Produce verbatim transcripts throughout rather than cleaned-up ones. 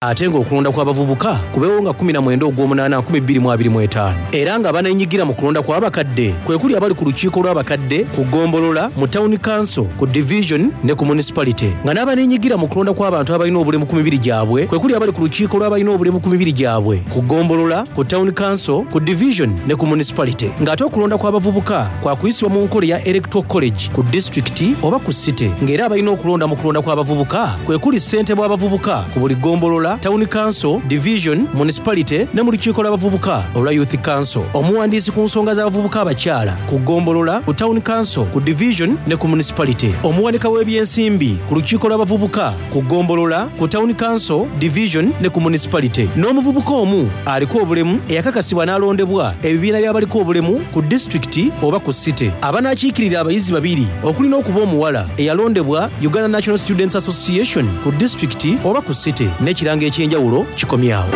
Ate ng'okulonda kw'abavubuka kubeewo nga kkumi na mwenda ogw'omunaana nkumi bbiri mu abiri mu etaano. Era nga baneenyigira mu kulonda kw'abakadde kwe kuli abali ku lukiiko lw'abakadde ku ggombolola, mu Town Council, ku Division ne ku Municipality. Nga n'abaneenyigira mu kulonda kw'abantu abalina obulemu ku mibiri gyabwe kwe kuli abali ku lukiiko lw'abalina obulemu ku mibiri gyabwe ku ggombolola, ku Town Council, ku Division ne ku Municipality. Ng'ate okulonda kw'abavubuka kwa kuyisibwa mu nkola eya Electoral College ku disitulikiti oba ku city. Ng'era abalina okulonda mu kulonda kw'abavubuka kwe kuli ssentebe w'abavubuka ku buli ggombolola, Town Council, Division, Municipality ne mu lukiiko lw'abavubuka olwa Youth Council. Omuwandiisi ku nsonga z'abavubuka abakyala ku ggombolola, ku Town Council, ku Division ne ku Municipality. Omuwanika w'ebyensimbi ku lukiiko lw'abavubuka ku ggombolola, ku Town Council, Division ne ku Municipality. N'omuvubuka omu aliko obulemu eyakakasibwa n'alondebwa ebibiina by'abaliko obulemu ku disitulikiti oba ku city. Abanaakiikirira abayizi babiri okuli n'okuba omuwala eyalondebwa Uganda National Students Association ku disitulikiti oba ku city. N'ekirango eky'enjawulo kikomyawo.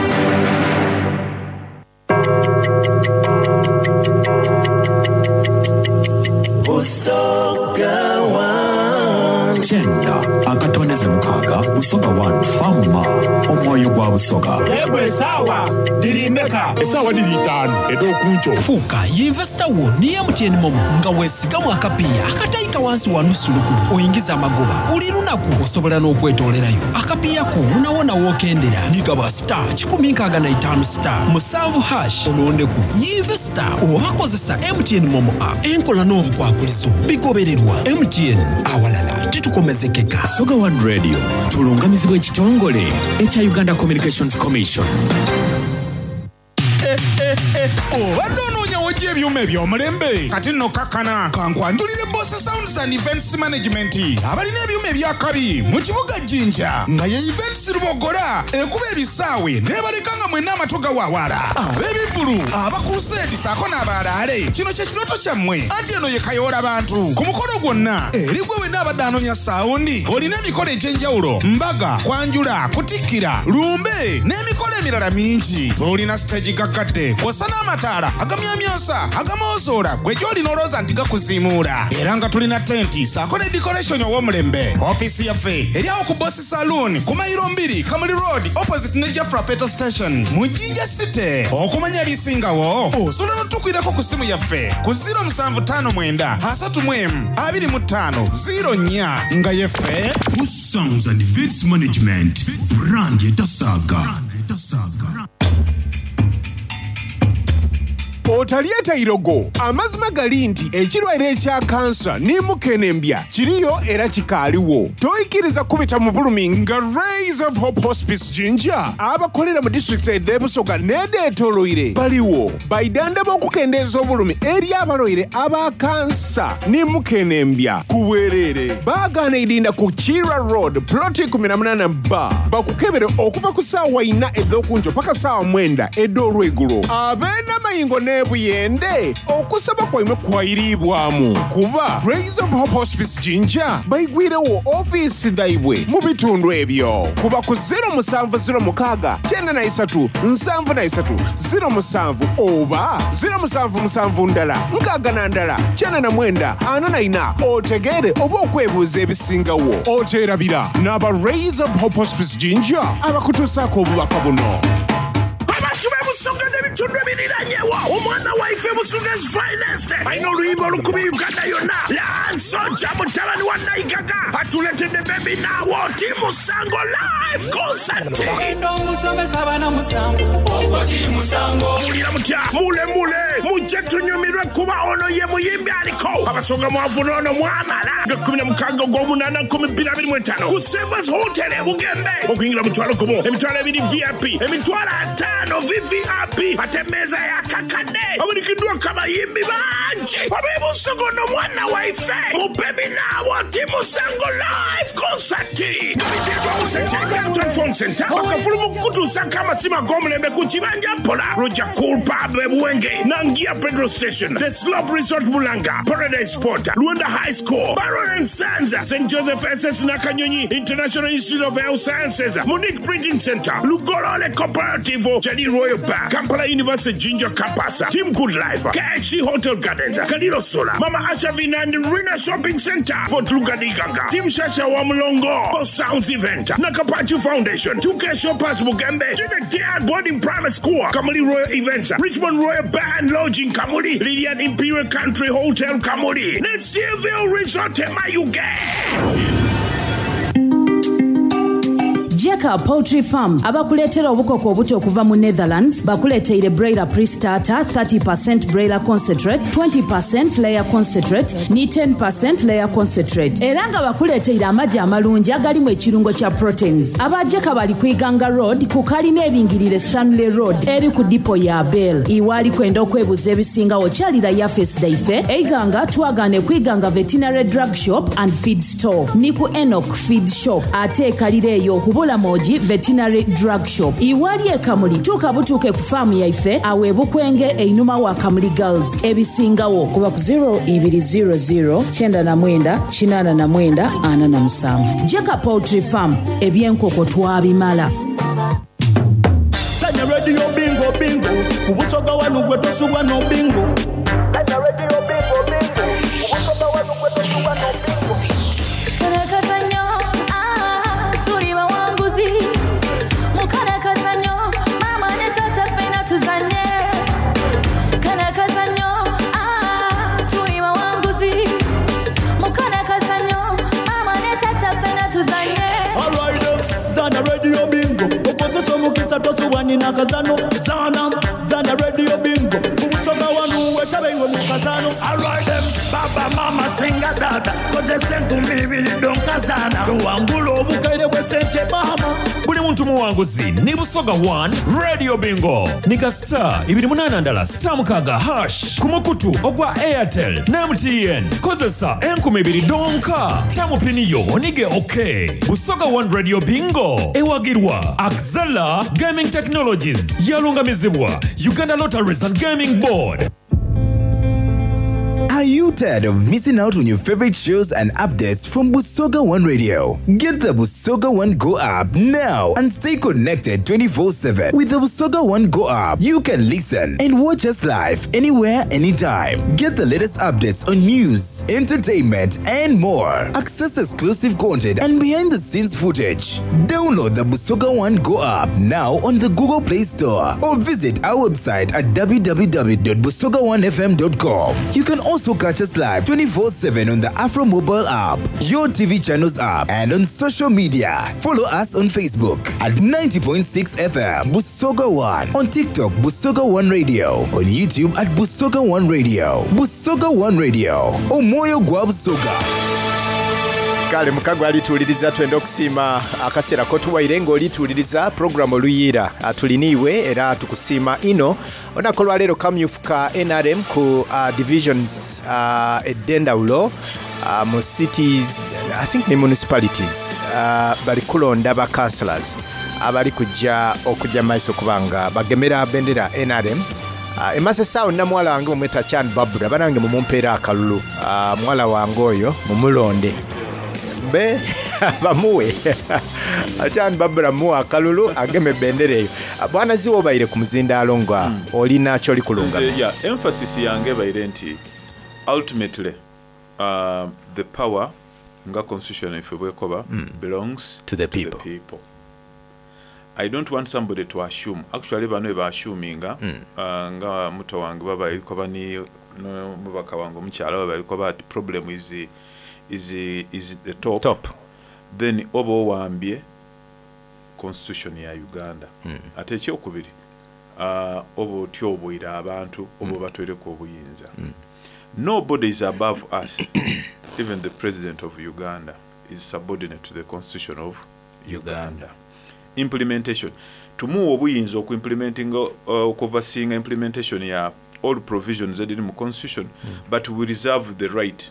Busoga One. Kyenda akatondeze mukaaga Busoga One Fama omwoyo gwa Busoga. Yegwe esaawa diri mmeka? Esaawa diri itaano ed'okunco. Fuuka yinvesita wo ne M T N MoMo nga weesigamu akapiiya akatayika wansi wa nusu lukumi oyingiza amagoba buli lunaku. Osobola n'okwetoolerayo akapiiya ko wonawona w'okendera. Nigaba star kikumi nkaaga na itaano star musanvu hash olondeku yinvesita oba kozesa M T N MoMo app. Enkola n'obukwakulizo bigobererwa. M T N, awalala titukomezekeka. Busoga One Radio tulungamizibwa ekitongole ekya Uganda Communications Commission. Obadde onoonya wojja ebyuma eby'omulembe? Kati nno kakkana kankwanjulire Boss Sounds and Events Management, abalina ebyuma ebyakabi mu kibuga Jjinja, nga ye Events Lubogola ekuba ebisaawe n'ebaleka nga mwenna amatu gawaawala. Ab'ebivvulu, abakuruseedi saako n'abalaale, kino kye kirooto kyammwe, anti eno ye kayoola bantu ku mukolo gwonna. Eri gwe wenna abadde anoonya sound, olina emikolo egy'enjawulo, mbaga, kwanjula, kutikkira, lumbe n'emikolo emirala mingi, tulina stage gaggadde kw'ossa n'amataala agamyamyansa agamozoola gwe gy'olina olowooza nti gakuziimuula. Era nga tulina tenti saako ne decoration ow'omulembe. Ofiisi yaffe eri awo ku Boss Saloon ku mayiro mbiri, Kamuli Road, opposite ne Jafra Petrol Station mu Jinja City. Okumanya ebisingawo osobola n'otukwirako ku ssimu yaffe ku zero musanvu ttaano mwenda asatu mu emu abiri mu ttaano zero nnya. Nga yeffe Sounds and Events Management, brand etasaaga. Otalyeta irogo. Amazima gali nti ekirwaire ekya kansa ne mukenembya kiriyo era kikaaliwo. Toyikiriza kubita mu bulumi nga Rays of Hope Hospice Jinja, abakolera mu disitulikiti ed'ebusoga n'edeetoloire, baliwo baidanda b'okukendeeza obulumi eri abalwaire aba kansa ne mukenembya ku bwereere. Baagaana idinda ku Kira Road, ploti eighteen B, bakukebere okuva ku ssaawa ina ed'okunjo paka ssaawa mwenda ed'olwegulo. Ab'enamayingo n'ebuyende, okusaba kwaimwe kwayiriibwamu kuba Rays of Hope Hospice Jinja baigwirewo ofiisi dhaibwe mu bitundu ebyo. Kuba ku zero musanvu zero mukaaga kyenda na isatu nsanvu na isatu zero musanvu oba zero musanvu musanvu ndala nkaaga na ndala kyenda na mwenda ana na ina otegeere oba okwebuuza ebisingawo. Oteerabira n'aba Rays of Hope Hospice Jinja abakutuusaako obubaka buno. Abantu b'ebusoga n'ebitundu ebiriranyewo, omwana waife Busoga's finest alina oluyimba olukumi Uganda yonna. Lansoja mutabani wa Naigaga atuletedde Baby Naawo Timusango live concert. Ogenda omusomesa abaana musango ogwo timusango. Mulira mutya? Mule mule mujje tunyumirwe kuba ono ye muyimbi aliko abasonga mwavu noono mwamala nga kumi na mukaaga ogw'omunaana nkumi bbiri abiri mu etaano ku Savers Hotel e Bugembe. Okuyingira mutwalo gumu, emitwalo ebiri V I P, emitwalo ataano V V I P, ate emmeeza yakakadde abulikiddwako abayimbi bangi ab'ebusogo n'omwana waife mu Baby Naawo Timusango live concert. Phone Center bakafulu mu kutuusako amasimu ag'omulembe ku kibanja mpola, Roger Cool Pub ebuwenge, Nangia Petrol Station, The Slope Resort Bulanga, Paradise Sport, Luanda High School, Baron and Sons, Saint Joseph S S Nakanyonyi, International Institute of Health Sciences, Monique Printing Center, Lugolole Cooperative, Jali Royal Bar, Kampala University Jinja Campus, Team Good Life, K H C Hotel Gardens, Kaliro Solar, Mama Asha Vinand Rina Shopping Center, Fort Lugadiganga. mukaaga Team Shasha wa Mulongo Boss Sounds Event Nakapachu Foundation two K Shoppers Bugembe Junior Boarding Private School Kamuli Royal Events Richmond Royal Bar and Lodging Kamuli Lilian Imperial Country Hotel Kamuli ne Civil Resort Mayuge. Jeka Poultry Farm abakuleetera obukoko obuto okuva mu Netherlands bakuleeteire broiler pre-starter thirty percent broiler concentrate, twenty percent layer concentrate ni ten percent layer concentrate era nga bakuleeteire amagi amalungi agalimu ekirungo kya proteins. Aba Jeka bali ku Iganga Road ku kalina eringirire Stanley Road eri ku dipo ya Bell. Iwaali kwenda okwebuza ebisingawo kyalira yafesi daife Eiganga twagane ku Iganga Veterinary Drug Shop and Feed Store ni ku Enoch Feed Shop ate ekalira eyo kubula Moji Veterinary Drug Shop. Iwali ekamuli tuuka butuuke ku faamu yaife awe Bukwenge einuma wa Kamuli Girls. Ebisingawo kuba ku zero ibiri zero zero kyenda na mwenda kinaana na mwenda ana na musanvu. Jeka Poultry Farm ebyenkoko twabimala. Sanya radio bingo bingo kubusoga wanu gwe tosubwa no bingo. Sanya radio bingo bingo kubusoga wanu gwe tosubwa no bingo. Karakazanyo ah tuli bawanguzi mukarakazanyo mama ne tata fena tuzanye karakazanyo ah tuli bawanguzi mukarakazanyo mama ne tata fena tuzanye. All right, zana radio bingo okozesa omukisa tosubwa nina kazano zana zana radio bingo kubusoga wanu wetabewe mu kazano. All right, them baba mama singa dada kozesa enkumbi ibiri donkazana tuwangula obukaire bw'essente mama. Buli muntu muwanguzi ni Busoga one Radio Bingo nika star ibiri munana ndala star mukaga hash ku mukutu ogwa Airtel na M T N kozesa enkumi ibiri donka tamupiniyo onige okay. Busoga one Radio Bingo ewagirwa Axela Gaming Technologies yalungamizibwa Uganda Lotteries and Gaming Board. Are you tired of missing out on your favorite shows and updates from Busoga One Radio? Get the Busoga One Go app now and stay connected twenty-four seven. With the Busoga One Go app, you can listen and watch us live anywhere, anytime. Get the latest updates on news, entertainment, and more. Access exclusive content and behind-the-scenes footage. Download the Busoga One Go app now on the Google Play Store or visit our website at w w w dot busoga one f m dot com. You can also catch us live twenty-four seven on the Afro mobile app, your T V channels app, and on social media. Follow us on Facebook at ninety point six F M Busoga One, on TikTok Busoga One Radio, on YouTube at Busoga One Radio. Busoga One Radio, Omwoyo gwa Busoga. Kale mukago alituuliriza twenda okusiima akaseera kotuwaire ng'olituuliriza program Oluyira atuliniiwe era tukusiima ino olunaku olwaleero kamyufu ka N R M ku uh, divisions uh, ed'endawulo uh, mu cities, I think ne municipalities uh, bali kulonda ba councillors abali kujja okujja maiso kubanga bagemera bendera N R M. Uh, emase sawo nna muwala wange mumweta Chan Babura banange mumumpeera akalulu uh, muwala wange oyo mumulonde be bamuwe Chan Babura muwa akalulu ageme bendera eyo. Bwana ziwo baire ku muzindaalo nga mm. olina kyoli kulunga. Yeah, emphasis yange baire nti ultimately uh, the power nga constitution ife bwekoba mm. belongs to the people. To the people. I don't want somebody to assume. Actually bano ba assuminga mm. uh, nga muto wange baba erikoba ni no mubaka wange omukyala baba erikoba ati problem is the, is the, is the top. Top. Then oba owambye constitution ya Uganda. Mm. Ate ekyokubiri uh, oba otyoboira abantu oba obatwereko obuyinza. Mm. Nobody is above us. Even the president of Uganda is subordinate to the constitution of Uganda. Uganda. Implementation. Tumuwa obuyinza okuimplementing uh, okuoverseeing implementation ya all provisions ediri mu constitution, mm. but we reserve the right,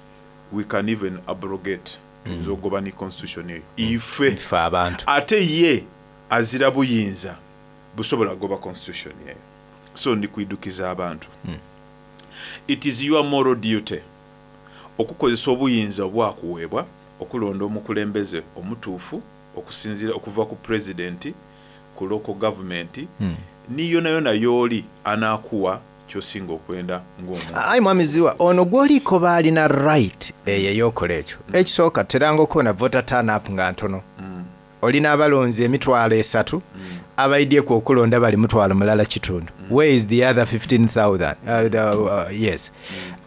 we can even abrogate mm. zogoba ni constitution eyo ife ife abantu ate ye azira buyinza busobola goba constitution eyo. So ndi kuidukiza abantu mm. It is your moral duty okukozesa obuyinza obwakuweebwa okulonda omukulembeze omutuufu okusinziira okuva ku president ku local government mm. niyo nayo nayooli anaakuwa kyosinga okwenda ng'omuntu. Ayi mwami Ziwa, ono gw'oliiko baalina right eyo ey'okola ekyo. Ekisooka, teranga okubona voter turn up nga ntono. Olina abalonzi emitwalo esatu, abaidyeku okulonda bali mutwalo mulala kitundu. Where is the other fifteen thousand? uh, the, uh, yes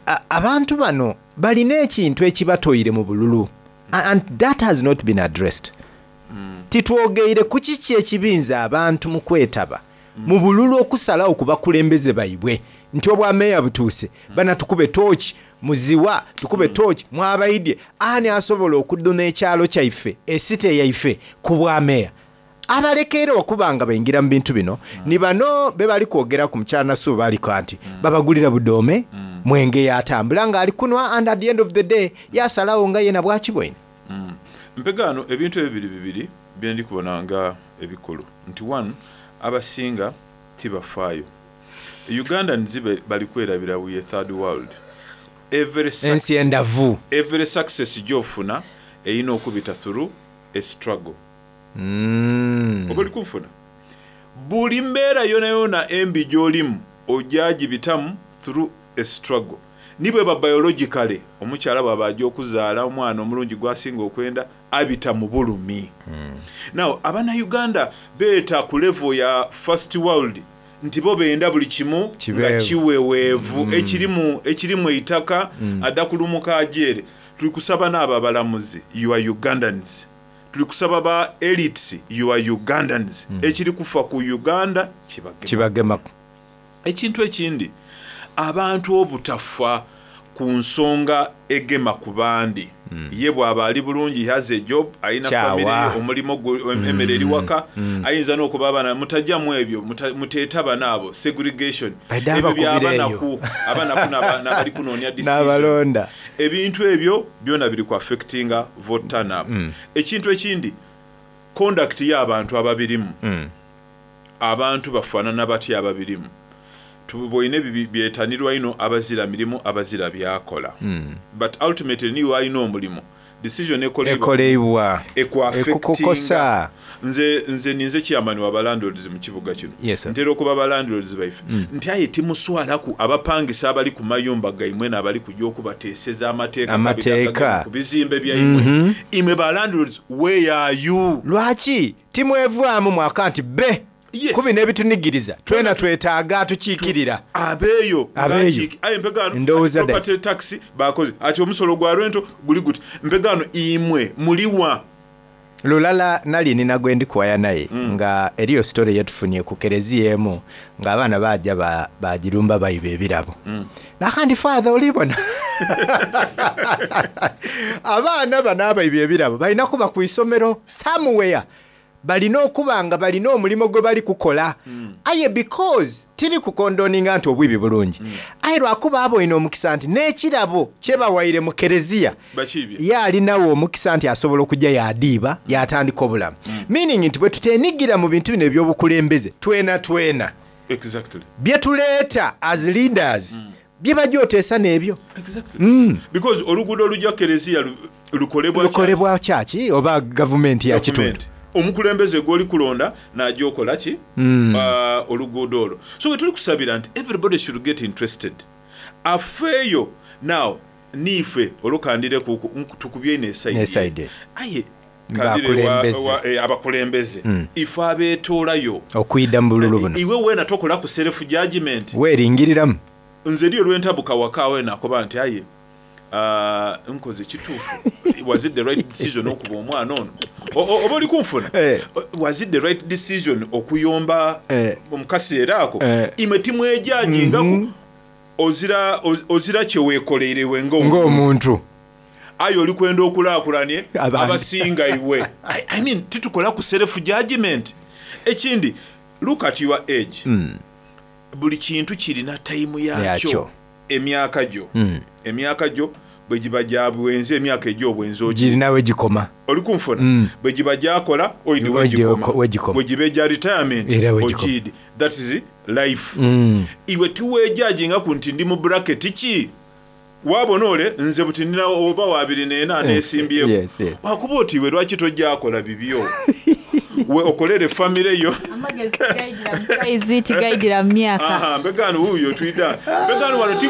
A- abantu bano balina ekintu ekibatoire mu bululu, and that has not been addressed. Titwogeire ku kiki ekibinza abantu mu kwetaba mu bululu okusalawo ku bakulembeze baibwe nti obwameeya butuuse, bana tukube tooki muziwa, tukube tooki mwabaidye, ani asobola okuduna ekyalo kyaife, esite yaife ku bwameeya. Abalekeera okuba nga bayingira mu bintu bino ni bano be bali kwogera ku mukyala Nasuuba, baliko nti babagulira budoome, mwenge, yatambula ng'ali kunwa, and at the end of the day yasalawo nga yena bwakibwene. Mpegaano ebintu ebyo biri bibiri byendi kubona nga ebikulu, nti one, abasinga tibafaayo. Ugandans be- bali kwerabira we a third world. Every ensi endavu. Every success gyofuna erina okubita through a struggle. Mm. Oba oli kunfuna, buli mbeera yona yona embi gyolimu ojagibitamu through a struggle. Ni bweba biologically, omukyala bwaba ajja okuzaala omwana omulungi gwasinga okwenda, abita mu bulumi. Now abannayuganda beeta ku level ya first world nti bo benda buli kimu nga Kibeewo. kiweweevu, ekirimu ekirimu eitaka, adda kulumuka ajeere. Tuli kusaba n'abo abalamuzi, you are Ugandans. Tuli kusaba ba elites, you are Ugandans. Ekiri kufa ku Uganda kibagema. Kibagemaku. Ekintu ekindi, abantu obutafa ku nsonga egema ku bandi. Ye bw'aba ali bulungi, he has a job, alina Kyawa. family ye, omulimu gwe, emmere eri waka, ayinza n'okuba abaana mutajjamu ebyo, muta- muteetaba naabo segregation. Baidde Ebyo abakubira eyo. byabanaku, abanaku n'aba- n'abali kunoonya decision. N'abalonda. Ebintu ebyo byona biri ku affectinga vote turn up. Ekintu ekindi, conduct y'abantu ababirimu. Abantu bafaanana batya ababirimu? Tubwoine byetanirwa ino, abazira mirimu, abazira byakola, but ultimately niwe alina omulimu, decision ekolebwa ekolebwa ekuaffectinga. Ekukukosa. Nze nze ninze chairman wa balandlords mu kibuga kino. Yes, sir. Ntera okuba balandlords baife nti aye timuswalaku abapangisa abali ku mayumba gaimwe n'abali kujja okubateeseza amateeka Amateeka. kabiri ku bizimbe byaimwe. Imwe balandlords, where are you? Lwaki timwevaamu mwaka nti be Yes. kubi n'ebitunigiriza twena twetaaga atukiikirira? Abeeyo. Abeeyo. Ngaki- aye mpegaano Ndowooza ati property tax bakoze ati omusolo gwa rento guli guti, mpegaano imwe muliwa? Lulala nali nina gwe ndikuwaya naye nga eriyo story yetufunye ku kereziya emu ng'abaana bajja ba- bagirumba bayiba ebirabo. Nakandi, father, olibona abaana bano abayiba ebirabo balina kuba ku isomero somewhere, balina okuba nga balina omulimu gwe bali kukola. Aye because tiri kukondoninga nti obwibi bulungi, aye lwakuba aboyina omukisa nti n'ekirabo kyebawaire mu kereziya Bakiibye. ye alinawo omukisa nti asobola okujja yadiiba yatandika obulamu. Meaning nti bwe tutenigira mu bintu bino ebyobukulembeze twena twena Exactly. bye tuleeta as leaders bye bajja oteesa n'ebyo. Exactly. Because oluguudo olujja kereziya lu- lukolebwa Lukolebwa kyaki oba gavumenti ya kitundu. Gavumenti. Omukulembeze gwoli kulonda najja okola ki? Mm. Uh, oluguudo olwo. So we tuli kusabira nti everybody should get interested, afeeyo. Now niife olukandire kuku tukubye ino N'eside. eside, aye kandire wa- Abakulembeze. wa- eh, abakulembeze Mm. ife abeetoolayo Okuyida mu bululu buno. Iwe weena tokola ku self judgment. Weeringiriramu. Nze eriyo lwentabuka waka we nakoba nti aye, ah, nkoze kituufu? Was it the right decision okuba omwana ono? O- o- oba oli kunfuna? Eh. Was it the right decision okuyomba Eh. mu kaseera ako? Eh. Imwe timwejajingaku. Mhm. Ozira oz- ozira kyeweekoleirewe ng'omuntu. Ng'omuntu. Aye oli kwenda okulaakulanye Abandi. abasinga iwe. I, i mean, titukola ku self judgment. Ekindi, look at your age. Mm. Buli kintu kirina tayimu yakyo. Yakyo. Emyaka gyo, Mm. emyaka gyo bwe giba gya bwenzi, emyaka egy'obwenzi ogi Girinawe gikoma. Oli kunfuna? Mm. Bwe giba gyakola oidi Wegikoma. wegikoma, Wegikoma. bwe giba egya retirement Era wegikoma. ogiidi. That is life. Mm. Iwe tiweejajingaku nti ndi mu bracket ki, waabona ole nze buti nina oba wabiri neena Eh, neesimbyeku. yes, yes. Wakuba oti iwe lwaki tojjakola bibyo? We okolere famire yo. Amagezi tigayidira mu saizi, tigayidira mu myaka. Aha, mbegano wuuyo twida mbegano wano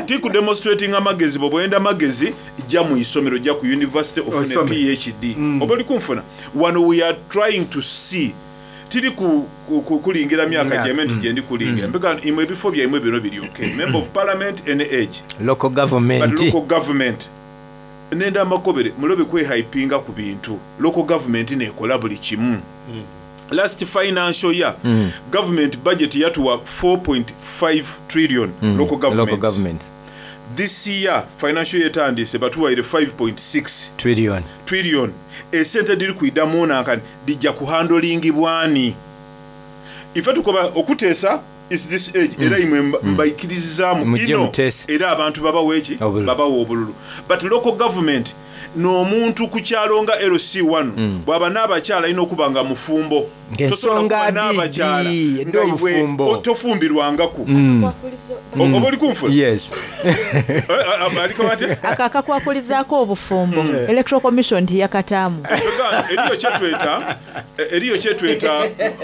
tikudemonstrating amagezi. Bwe bwenda amagezi, jja mu isomero, jja ku university ofune Osome. P H D oba oli kunfuna. Wano we are trying to see, tiri ku, ku, ku, kulingira myaka Myaka, gyeme nti gyendi kulingira. Mbegano imwe ebifo byaimwe bino biri okay, member of parliament, any age, local but government, local government nenda amakobere mulobe kwehypinga ku bintu. Local government nekola buli kimu. Last financial year, Mm. government budget yatuwa four point five trillion. Mm. Local government. Local government. This year, financial year etandise, batuwaire five point six trillion. Trillion. Esente diri kuidamu nankani dijja kuhandolingibwani. Ife tukoba okuteesa is this age, era imwe mba- mbaikiririzaamu Mujje ino muteese. Era abantu babawa eki? Obululu. Babawa obululu. But local government n'omuntu ku kyalo nga L C one bw'aba n'abakyala alina okuba nga mufumbo. Tosobola Ng'ensonga kuba n'abakyala didi, nga iwe ed'obufumbo. o- tofumbirwangaku. Mm. O- oba oli kunfuna? Yes. Aliko batya? Ako akakwakulizaako obufumbo, Electoral Commission tiyakataamu. Tugamba, eriyo kyetweta eriyo kyetweta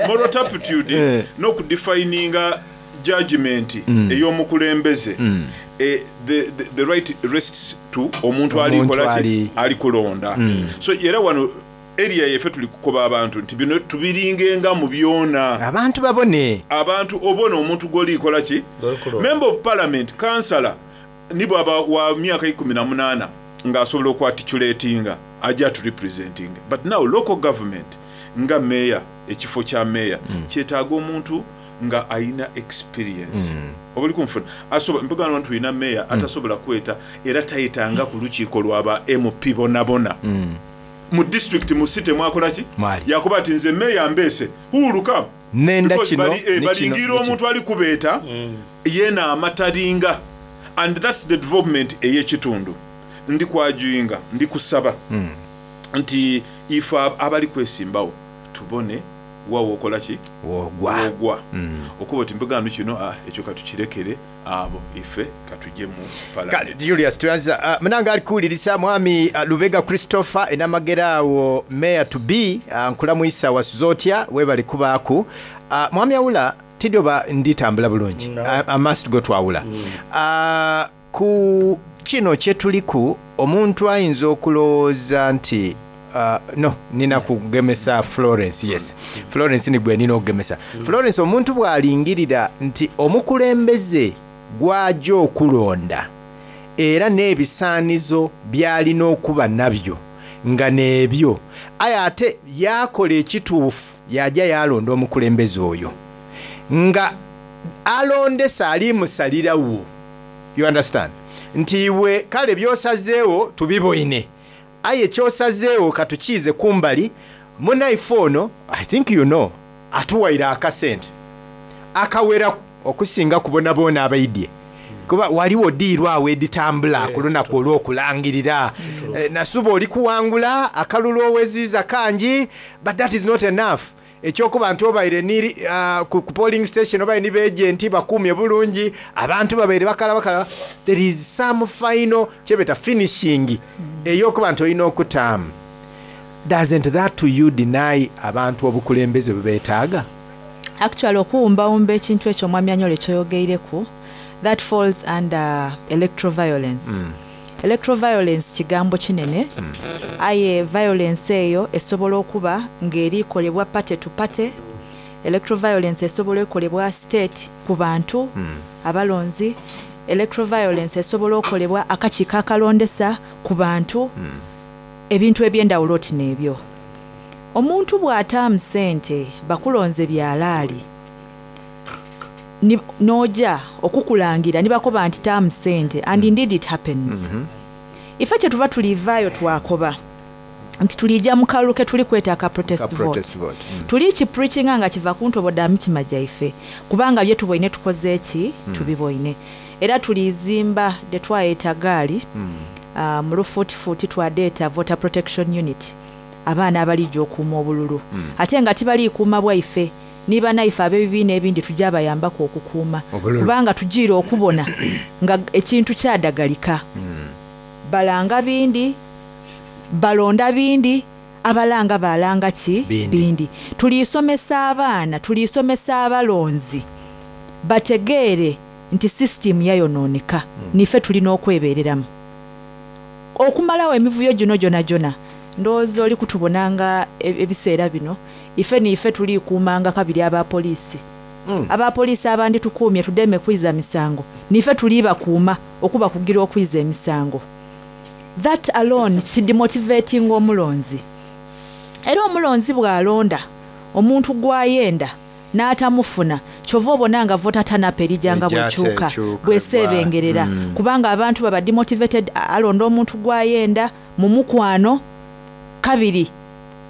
moral turpitude Eh. n'okudefininga judgment Mm. ey'omukulembeze. Mm. Eh, the, the, the right rests to omuntu Omuntu alikola ki? ali- Ali kulonda. Mm. So era wano area yeffe tuli kukoba abantu nti bino tubiringenga mu byona. Abantu babone. Abantu obona omuntu gw'olikola ki, member of parliament, councillor, ni bwaba wa myaka ikumi na munaana ng'asobola okuarticulatinga, ajja aturepresenting. But now local government nga meya, ekifo kya meya mm. kyetaaga omuntu nga ayina experience mm. Oba oli kunfuna? Asobola mpegano nti tulina meya mm. atasobola kweta era tayetanga ku lukiiko lwaba M P bonabona mm. mu district, mu city mwakola ki. Mwali. Yakuba ati nze meya mbeese huuluka. Nenda Because kino, bali- eh, ne kino, balingira ne kino. omuntu ali kubeeta yena amatalinga, and that's the development ey'ekitundu. Ndi kwajuinga, ndi kusaba Mm. nti ife ab- abali kwesimbawo tubone wawa okola ki. Wogwa. Wogwa. Mm. Okuba oti mbegano kino, ah, ekyo katukirekere abo, ife katujje mu Kale, parliament. Julius, tuyanza uh, munange ali kuwuliriza mwami uh, Lubega Christopher enamagera awo, mayor to be, uh, nkulamwisa wasuza otya, webali kubaaku. uh, mwami Awula, tidyoba nditambula bulungi. I, I must go to Awula. uh, ku kino kyetuliku, omuntu ayinza okulowooza nti uh, no, nina kugemesa Florence. Yes, Florence, ni gwe nina okugemesa. Florence, omuntu bw'alingirira nti omukulembeze gw'ajja okulonda era n'ebisaanizo by'alina okuba nabyo nga n'ebyo, aye ate yakola ekituufu, yajja yalonda omukulembeze oyo nga alondesa alimusalirawo, you understand, nti iwe kale byosazeewo tubiboine, aye kyosazeewo katukiize kumbali. Munaife ono, I think you know, atuwaire akasente akawera okusinga kubona boona abaidye, kuba waliwo diiru awo editambula ku lunaku olw'okulangirira. Eh, nasuba oli kuwangula akalulu oweziiza kangi, but that is not enough. Ekyokuba nti obaire ni uh, ku, ku polling station obaire ni beagenti bakumye bulungi, abantu babaire bakala bakala, there is some final kyebeta finishing ey'okuba nti olina okutaamu. Doesn't that to you deny abantu obukulembeze bwe beetaaga? Actually, okuwumbawumba ekintu ekyo omwami Anyole kyoyogeireku, that falls under electroviolence. Mm. Electroviolence kigambo kinene, aye violence eyo esobola okuba ng'erikolebwa party to party. Electroviolence esobola ekolebwa state ku bantu abalonzi. Electroviolence esobola okolebwa akakiiko akalondesa ku bantu, ebintu ebyendawulo oti n'ebyo. Omuntu bw'ataamu ssente bakulonze byalaali, ni- n'ojja okukulangira nibakoba nti taamu ssente, and indeed it happens. Ife kye tuba tulivaayo twakoba nti tulijja mu kalulu ke tuli kweta aka protest Ka vote. protest vote. Mm. Tuli kipreachinga nga kiva ku ntobo dda mitima gyaife, kubanga bye tuboine tukoze eki? Mm. Tubiboine era tulizimba de twayeta gaali Mm. uh, mu lufuutifuuti twadeeta voter protection unit, abaana abalijja okuuma obululu. Mm. Ate nga tibaliikuuma bwaife, nibanaife ab'ebibiina ebindi tujja abayambako okukuuma obululu. Kubanga tugiire okubona nga ekintu kyadagalika, balanga bindi, balonda bindi, Abalanga balanga ki? Bindi. Bindi. Tuliisomesa abaana, tuliisomesa abalonzi bategeere nti system yayonooneka, mm. Nife tulina okwebeereramu okumalawo emivuyo gino gyona gyona. Ndowooza oli kutubonanga e- ebiseera bino, ife niife tuliikuumanga kabiri abapoliisi, mm. Abapoliisi abandi tukuumye tudeme kwiza misango, nife tulibakuuma okuba kugira okwiza emisango. That alone kidemotivating omulonzi. Era omulonzi bw'alonda omuntu gw'ayenda n'atamufuna, kyova obona nga voter turn-up erijanga Ejja bwekyuka tekyuka, bweseebengerera, mm. kubanga abantu baba demotivated. Alonda omuntu gw'ayenda mu mukwano. Kabiri,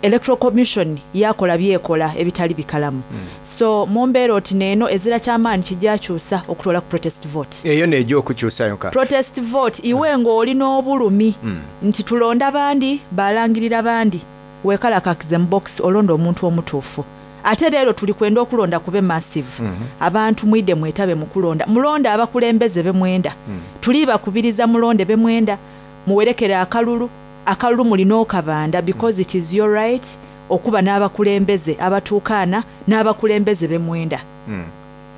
Electoral Commission yakola byekola ebitali bikalamu, mm. So mu mbeera oti neeno ezira kyamaanyi kijjakyusa okutola ku protest vote. Eyo nejja okukyusa yonka. Protest vote, iwe ng'olina obulumi Mm. nti tulonda bandi, balangirira bandi, weekalakakize mu box, olonda omuntu omutuufu. Ate leero tuli kwenda okulonda kube massive. Mhm. Abantu mwidde mwetabe mu kulonda, mulonde abakulembeze bemwenda. Mm. Tuli bakubiriza mulonde bemwenda, muwerekere akalulu. Akalulu mulina okabanda because it is your right okuba n'abakulembeze abatuukaana n'abakulembeze bemwenda. Mm.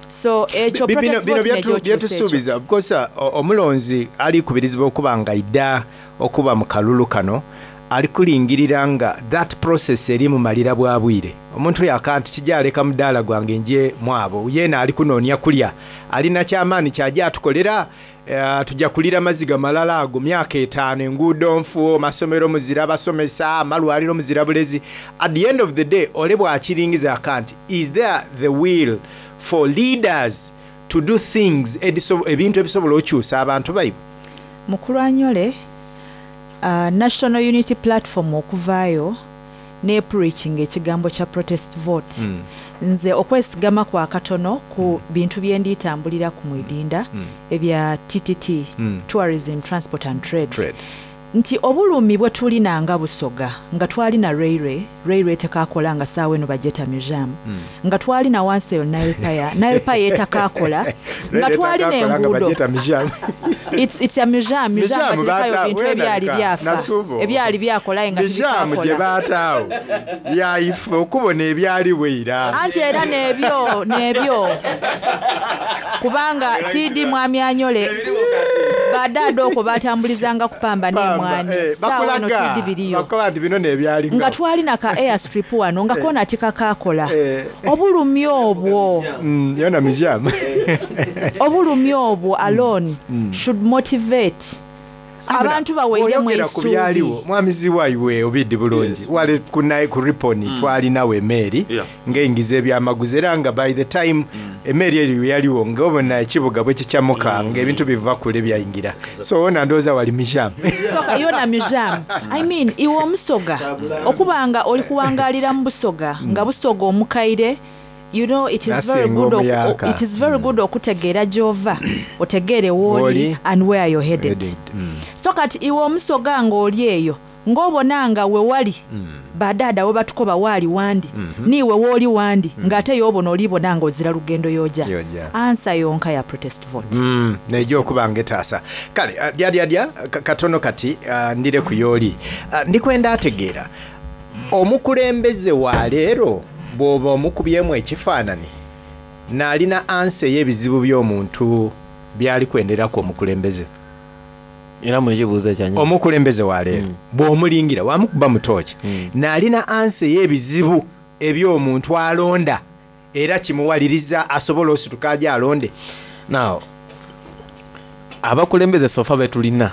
So ekyo Bi- bino protest bino vote byetu- nejja okyusa ekyo. byetusuubiza. Of course, uh, omulonzi alikubirizibwa okuba nga idda okuba mu kalulu kano, ali kulingirira nga that process eri mumalira bwa bwire. Omuntu oyo akantu kijaleka mudaala gwange nje mwabo, yeena ali kunoonya kulya, alina kyamaanyi kyajja atukolera. Uh, tujja kulira maziga malala ago myaka etaano, enguudo nfu, amasomero muzira basomesa, amalwaliro muzira bulezi. At the end of the day, ole bwakiringiza akanti, is there the will for leaders to do things ediso- ebintu ebisobola okyusa abantu baibwe? Mukulu Anyole, uh, National Unity Platform okuvaayo ne preaching ekigambo kya protest vote, Mm. nze okwesigama kwa katono ku bintu bye nditambulira ku mwidinda Mm. ebya T T T, Mm. tourism, transport and trade, Trade. Nti obulumi bwe tulina nga Busoga, nga twalina railway, railway tekakola, nga saawa eno bajeta museum, Mm. nga twalina wansi eyo Nile Pier, Nile Pier etakakola, nga twalina enguudo. It's, it's a museum, museum Museum baterekayo bata- bintu ebyali wenalika, byafa, Nasubo. ebyali byakolaye nga Bijaamu gye tibikakola. baataawo yaife okubona ebyaliwo era. Anti era nebyo nebyo, kubanga T D Mwami Anyole, badaada okwo batambulizanga kupamba n'emwanyi, Eh, saawa eno bakulaga T D biriyo. bakola nti bino nebyalinga. Nga twalina ka airstrip wano nga Eh. kona tikakakola. Obulumi obwo, Mm, yona museum. obulumi obwo alone Mm. should motivate abantu baweiremu Oyogera ku byaliwo, essuubi. mwami Ziwaiwe, obiddi bulungi, wali kunaye ku Riponi, Mm. twalinawo emeeri Yeah. ng'eyingiza ebyamaguzi, era nga by the time emeeri eyo yaliwo, ng'obona ekibuga bwe kikyamuka, ng'ebintu biva kule byayingira. So wona ndowooza wali museum. Soka yona museum. I mean, iwe omusoga okuba nga oli kuwangalira mu Busoga, nga Busoga omukaire, you know, it is very Nasinga good oku- omuyaka. it is very good okutegeera gy'ova, otegeere wooli Wooli. and where you're headed. Mm. So kati iwe omusoga ng'oli eyo, ng'obona nga we wali badaada we batukoba waali wandi, Mhm. niiwe wooli wandi, ng'ate yoobona olibona nga ozira lugendo yoja. Yoja. Ansa yonka ya protest vote. Mm, nejja okuba nga etaasa. Kale uh, dyadyadya katono kati, uh, ndire ku yooli. uh, ndikwenda ategeera omukulembeze wa leero, bw'oba omukubyemu ekifaanani n'alina ansa ey'ebizibu by'omuntu byali kwenderaku omukulembeze. Era mwekibuuzo ekyanyi. Omukulembeze wa leero, bw'omulingira wamukuba mutooki, n'alina ansa ey'ebizibu eby'omuntu alonda, era kimuwaliriza asobola osituka aje alonde? Now, abakulembeze sofa betulina,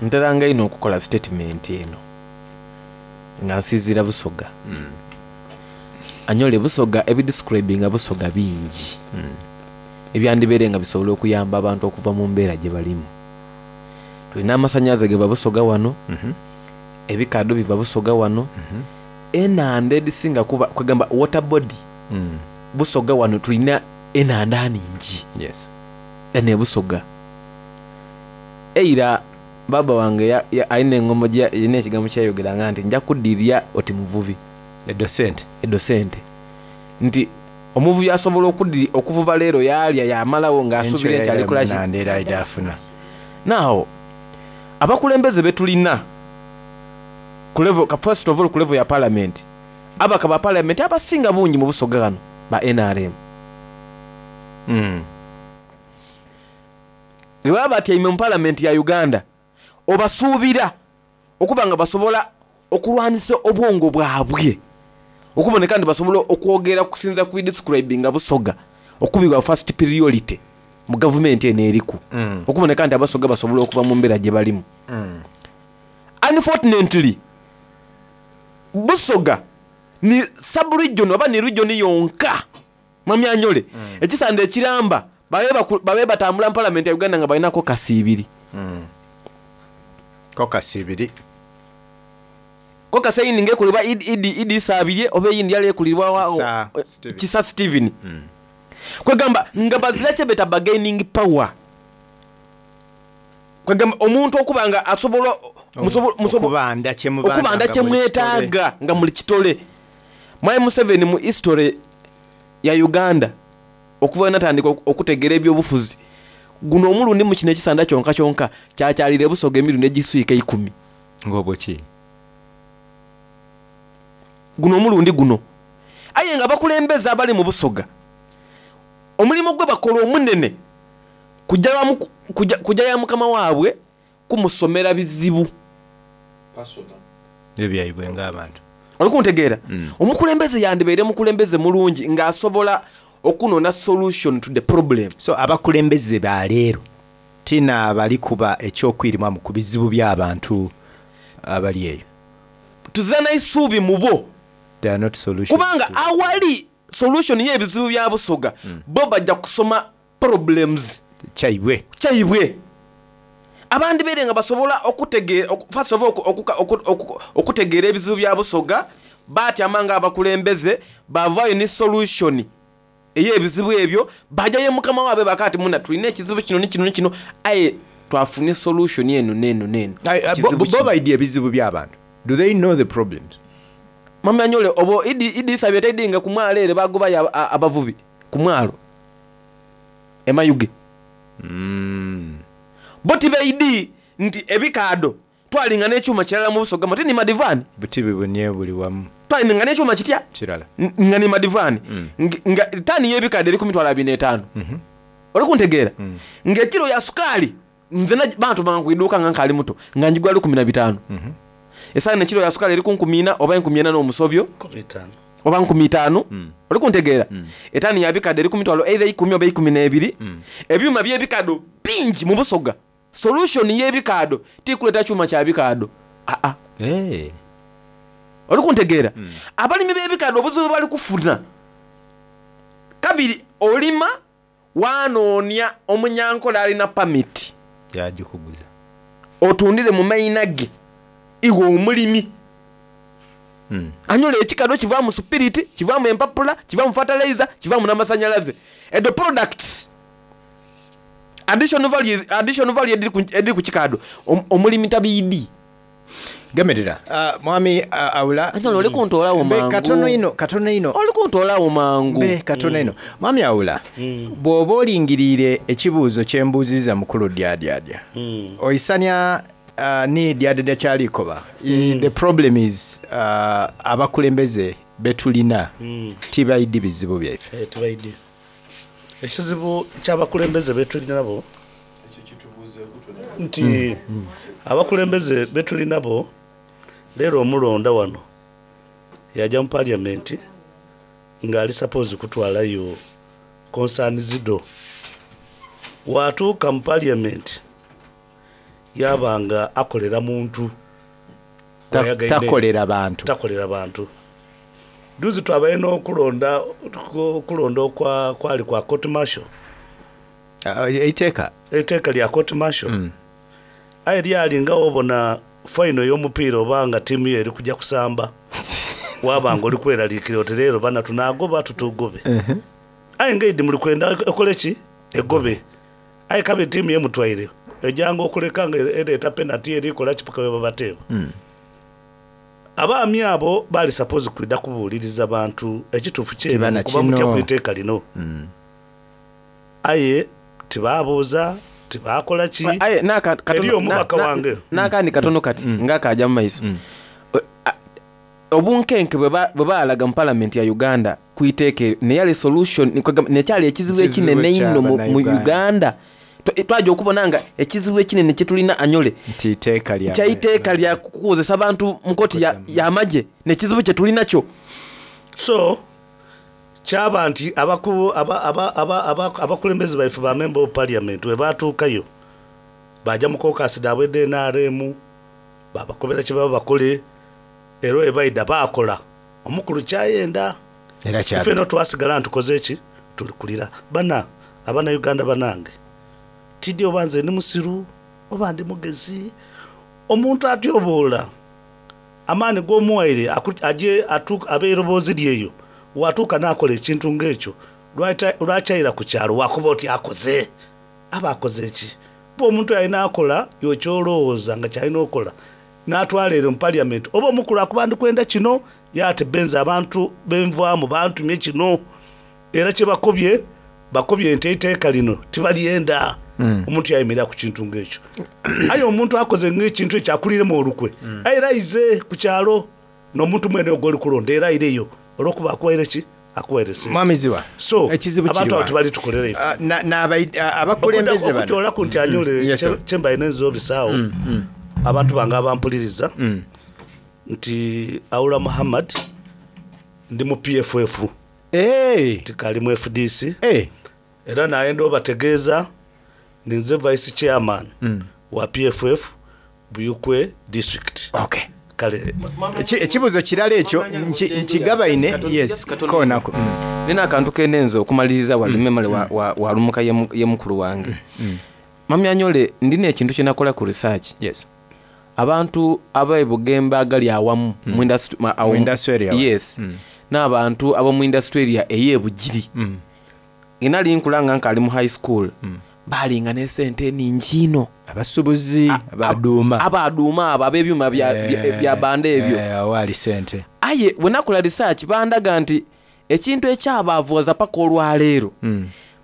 nteranga ino okukola statement eno nga nsinziira Busoga. Anyole, Busoga ebidescribinga Busoga bingi ebyandibeere nga bisobola okuyamba abantu okuva mu mbeera gye balimu. Tulina amasannyalaze geva Busoga wano, ebikado biva Busoga wano, enanda edisinga kuba kwegamba water body Busoga wano, tulina enanda ningi Yes. ene Busoga. Eira baba wange ya- ya- alina engombo erina ekigambo kyeyayogeranga nti nja kuddirya oti muvubi. Edo sente. Edo sente, nti omuvubi asobola okudiri okuvuba leero yalya yamalawo ng'asuubira nti alikolaki. Nandera idafuna. Now, abakulembeze betulina Ku level, ka first of all ku level ya parliament, ababaka ba parliament abasinga bungi mu Busoga ghano ba N R M. Mm. Bwe baba batyaime mu parliament ya Uganda, obasuubira okuba nga basobola okulwanisa obwongo bwabwe okuboneka nti basobola okwogera okusinza ku describing Busoga okubibwa first priority mu gavumenti eno eriku. Mm. Okuboneka nti Abasoga basobola okuva mu mbeera gye balimu. Mm. Unfortunately, Busoga ni sub-region oba ni region yonka Mwami Anyole. Mm. Ekisande ekiramba babe baku-, babe batambula mu parliament ya Uganda nga balinako kasiibiri. Mm. Ko kasiibiri. Ko kaseyini ngekulibwa Idi, Idi, Idi Isabirye oba eyindi yali ekulibwa wa- Kisa o- Steven. Kisa Steven. Mm. Kwegamba nga bazira kye beta bargaining power. Kwegamba omuntu okuba nga asobola Omu- musobo-, musobo-, okubanda kye mubanda okubanda nga kye muli kitole. mwetaaga nga muli kitole. Mwami Museveni mu history ya Uganda okuva natandika oku-, okutegeera ebyobufuzi, guno omulundi mu kino ekisanda kyonka kyonka kyakyalira Busoga emirundi egiswika eikumi. Ng'obwo ki? Guno omulundi guno. Aye nga bakulembeze abali mu Busoga, omulimu gwe bakola omunene kujja wa muku-, kujja, kujja ya mukama waabwe kumusomera bizibu. Ebyaibwe ng'abantu. Oli kuntegeera? Mm. Omukulembeze yandibeere mukulembeze mulungi ng'asobola okunona solution to the problem. So abakulembeze ba leero tina bali kuba ekyokwirimamu ku bizibu by'abantu abali eyo. Tuzana isuubi mu bo. They are not solutions. Kubanga awali solution y'ebizibu bya Busoga, Mm. bo bajja kusoma problems. Kyaibwe. Kyaibwe. Abandi beere nga basobola okutegeera, oku-, first of all, oku-, oku-, oku-, oku-, okutegeera ebizibu bya Busoga, batyama nga abakulembeze, bavaayo ne solution ey'ebizibu ebyo, bajjayo mukama waabwe bakaati muna tulina ekizibu kino ne kino ne kino, aye twafune solution eno n'eno n'eno. Aye, bo-, Kizibu bo kino. baidye ebizibu by'abantu. Do they know the problems? Mama Anyole, obo Idi, Idi Isabye tedinga ku mwalo ere bagobayo aba-, a-, abavubi ku mwalo e Mayuge. Mm. Bo tibeidi nti ebikaado twalinga n'ekyuma kirala mu Busoga, mate ni madivaani. Buti bibunye buli wamu. Twalinga n'ekyuma kitya? Kirala. N-, nga ni madivaani. Mm. Ng-, nga ttaani y'ebikaado eri ku mitwalo abiri n'etaano. Mm-hmm. Oli kuntegeera? Mm. Ng'ekiro ya sukaali, nze na-, bantu bankwidduka nga nkaali muto, nga njigula lukumi na bitaano. Mm-hmm. Esaana ekiro ya sukaali eri ku nkumi ina oba enkumi ena n'omusobyo. Nkumi ttaano. Oba nkumi ttaano. Mm. Oli kuntegeera? Mm. Etaani ya bikadde eri ku mitwalo either ikumi oba ikumi n'ebiri. Mm. Ebyuma by'ebikaddo bingi mu Busoga. Solution y'ebikaddo tikuleeta kyuma kya bikaddo. Aa. Hey. Oli kuntegeera? Mm. Abalimi b'ebikaddo obuzibu bali kufuna. Kabiri olima wanoonya omunyankole alina permit. Yagikuguza. Otundire mu mayina ge iwe omulimi. Mm. Anyola ekikaddo kivaamu spirit, kivaamu empapula, kivaamu fertilizer, kivaamu n'amasannyalaze. Edo products additional value, additional value ediri ku, ediri ku kikaddo. Om-, omulimi tabiidi. Gemerera. Uh, mwami, uh, Aula. Anyola, oli kuntoolawo Mbe, mangu. katono ino, katono ino. Oli kuntoolawo mangu. Mbe, katono ino. Mwami Aula, Mm. bw'oba olingiriire ekibuuzo kye mbuuzizza mukulu Dyadyadya. Mm. Oyisanya, uh, ni Dyadyadya kyalikoba. Mm. The problem is, uh, abakulembeze betulina Mm. tibaidi bizibu byaffe. Eh, tibaidi. Ekizibu ky'abakulembeze betulina nabo nti Mm. abakulembeze betuli nabo leero omulonda wano yajja mu parliament ng'ali suppose kutwalayo concern zido. Watuuka mu parliament yabanga akolera muntu. Ta- Wayagaine. takolera bantu. Takolera bantu. Duzi twabaye n'okulonda, okulonda okwa, kwali kwa court martial. Uh, eiteeka? Eiteeka lya court martial. Mm. Aye lyali nga wobona final y'omupiira oba nga ttiimu yo eri kujja kusamba. Wabanga oli kweraliikirira oti leero bana tunaagoba tutugobe. Uh-huh. Aye ng'eidi muli kwenda ekole ki? Egobe. Aye kabe ttiimu ye mutwaire. Ejjanga okuleka nga ereeta penalty erikola ki paka bwe babateeba. Mm. Abaami abo baali suppose kwidda kubuuliriza bantu ekituufu kyene Kibana kuba mutya kino. ku iteeka lino. Mm. Aye tibaabuuza, tibaakola ki? Aye, n'aka-, katono, Eri omubaka na-, na-, wange. n'akandi katono kati, Mm. nga kajja mu maiso. Obunkenke bwe ba- bwe balaga mu palamenti ya Uganda kwiteeke neyali solution nikwegamba- nekyali ekizibu Ekizibu ekinene einho mu mu ky'abannayuganda. Uganda. Twa- Twajja okubona nga ekizibu ekinene kyetulina anyole nti iteeka lya kyaiteeka lya kukozesa bantu mu kooti ya- y'amagye nekizibu kyetulina kyo. So kyaba nti abaku- aba- aba- aba- aba- abakulembeze baife ba member of parliament we batuukayo bajja mu caucus daabwe edda N R M, babakobera kye baba bakole, era we baida baakola omukulu kyayenda. Era kyabita. Ffe no twasigala ntukoze ki, tuli kulira bana abanauganda banange, tiddi oba nze ndi musiru oba ndi mugezi, omuntu atyoboola amaani g'omuwaire aku- aje atuuka abe eroboozi lyeyo watuuka n'akola ekintu ng'ekyo, lwata- lwakyayira ku kyalo wakuba oti akoze aba akoze ki? Ba omuntu alina akola yokyolowooza nga kyalina okola n'atwala ero mu parliament oba omukulu akuba ndikwenda kino yaate benza abantu benvaamu bantumye kino era kyebakobye bakobye nti eiteeka lino tibalyenda. Mm. Omuntu yayimirira ku kintu ng'ekyo, aye omuntu akoze ng'ekintu ekyo akuliremu olukwe, aye era aize ku kyalo n'omuntu mwene ogwo oli kulonda era aireyo olwokuba akuwaire ki, akuwaire sente. Mwami Ziwa, so ekizibu abantu kiri abo wa? tebali tukolera ife. Ah, na- n'abai- ah, abakulembeze bano Okutoolaku nti anyule Mm, yes, sir. kyembaine nzobisaawo Mm, abantu bange abampuliriza nti Aula Muhammad ndi mu P F F, tikali mu F D C, era nayenda obategeeza ninze vice chairman Mm. wa P F F Buyukwe district. Okay. Kale. Eki- ekibuuzo kirala ekyo nki- nkigabaine, yes, koonako. Nina akantu kenenza okumaliriza wali memale wa- wa- walumuka ye mu- ye mukulu wange mami anyole, ndina ekintu kyenakola ku research. Yes. Abantu ab'ebugembe agali awamu mu industry- ma- awo- Mu industry area. Yes, n'abantu ab'omu industry area ey'ebugiri, nali nkula nga nkaali mu high school, balinga n'esente eningi ino. Abasubuzi abaduuma. Abaduuma abo ab'ebyuma bya- bya- bya banda ebyo. Awaali sente. Aye bwe nakola research bandaga nti ekintu ekyabaavuwaza paka olwaleero,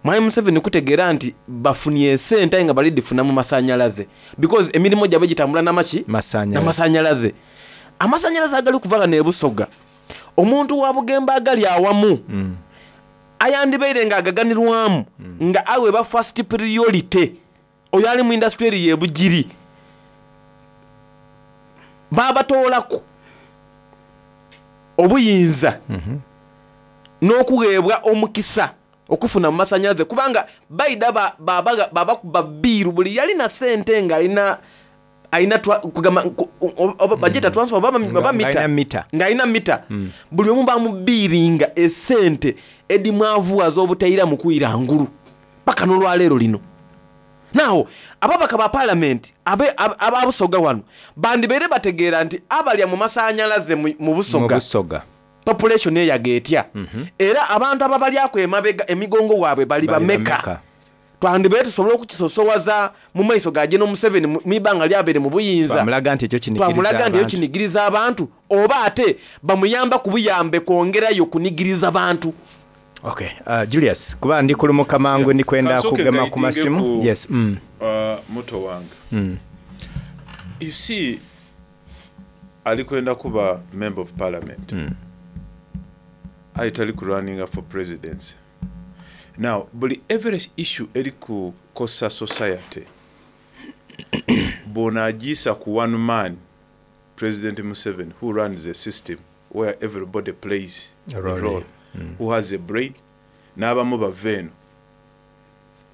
mwami Museveni kutegeera nti bafunye esente aye nga balidifuna mu masanyalaze, because emirimu gyabwe gitambula namaki? Namasanyalaze. Amasanyalaze agali kuva gano ebusoga, omuntu wa bugembe agali awamu ayandibeire nga agaganirwamu nga aweebwa first priority, oyo ali mu industry eri yebugiri babatoolaku obuyinza n'okuweebwa omukisa okufuna mu masanyalaze, kubanga baida babakuba ba, ba, babakuba biiru buli yalina sente nga alina alina twa- kugamba ku- o- oba bagiyita transfer oba oba Nga mita. alina mita. Ng'alina mita, buli omu bamubiiringa esente edimwavuwaza obutaira mu kwira ngulu paka n'olwaleero lino. Nawo ababaka ba palamenti abe- ab- ababusoga wano bandibeere bategeera nti abalya mu masanyalaze mu mu mu Busoga, Busoga population eyaga etya, era abantu ababalyako emabega emigongo waabwe bali Bali bameka? bameka? Twandibeere tusobole okukisosowaza mu maiso ga Geno Museveni mu ibanga lyabeere mu buyinza. Twamulaga nti ekyo kinigiriza Twamulaga nti eyo abantu. kinigiriza abantu, oba ate bamuyamba ku buyambe kwongerayo kunigiriza bantu. Okay, uh, Julius, kuba ndi kulumuka mangu, ndikwenda Kansooke kugema ku guidinge masimu. ku, Yes, mm. uh, muto wange. Mm. You see, ali kwenda kuba member of parliament, mm. aye tali kurunninga for presidency. Now buli every issue eri kukosa society bw'onaagiisa ku one man, President Museveni, who runs a system where everybody plays A a role. role, Mm. who has a brain, n'abamu bava eno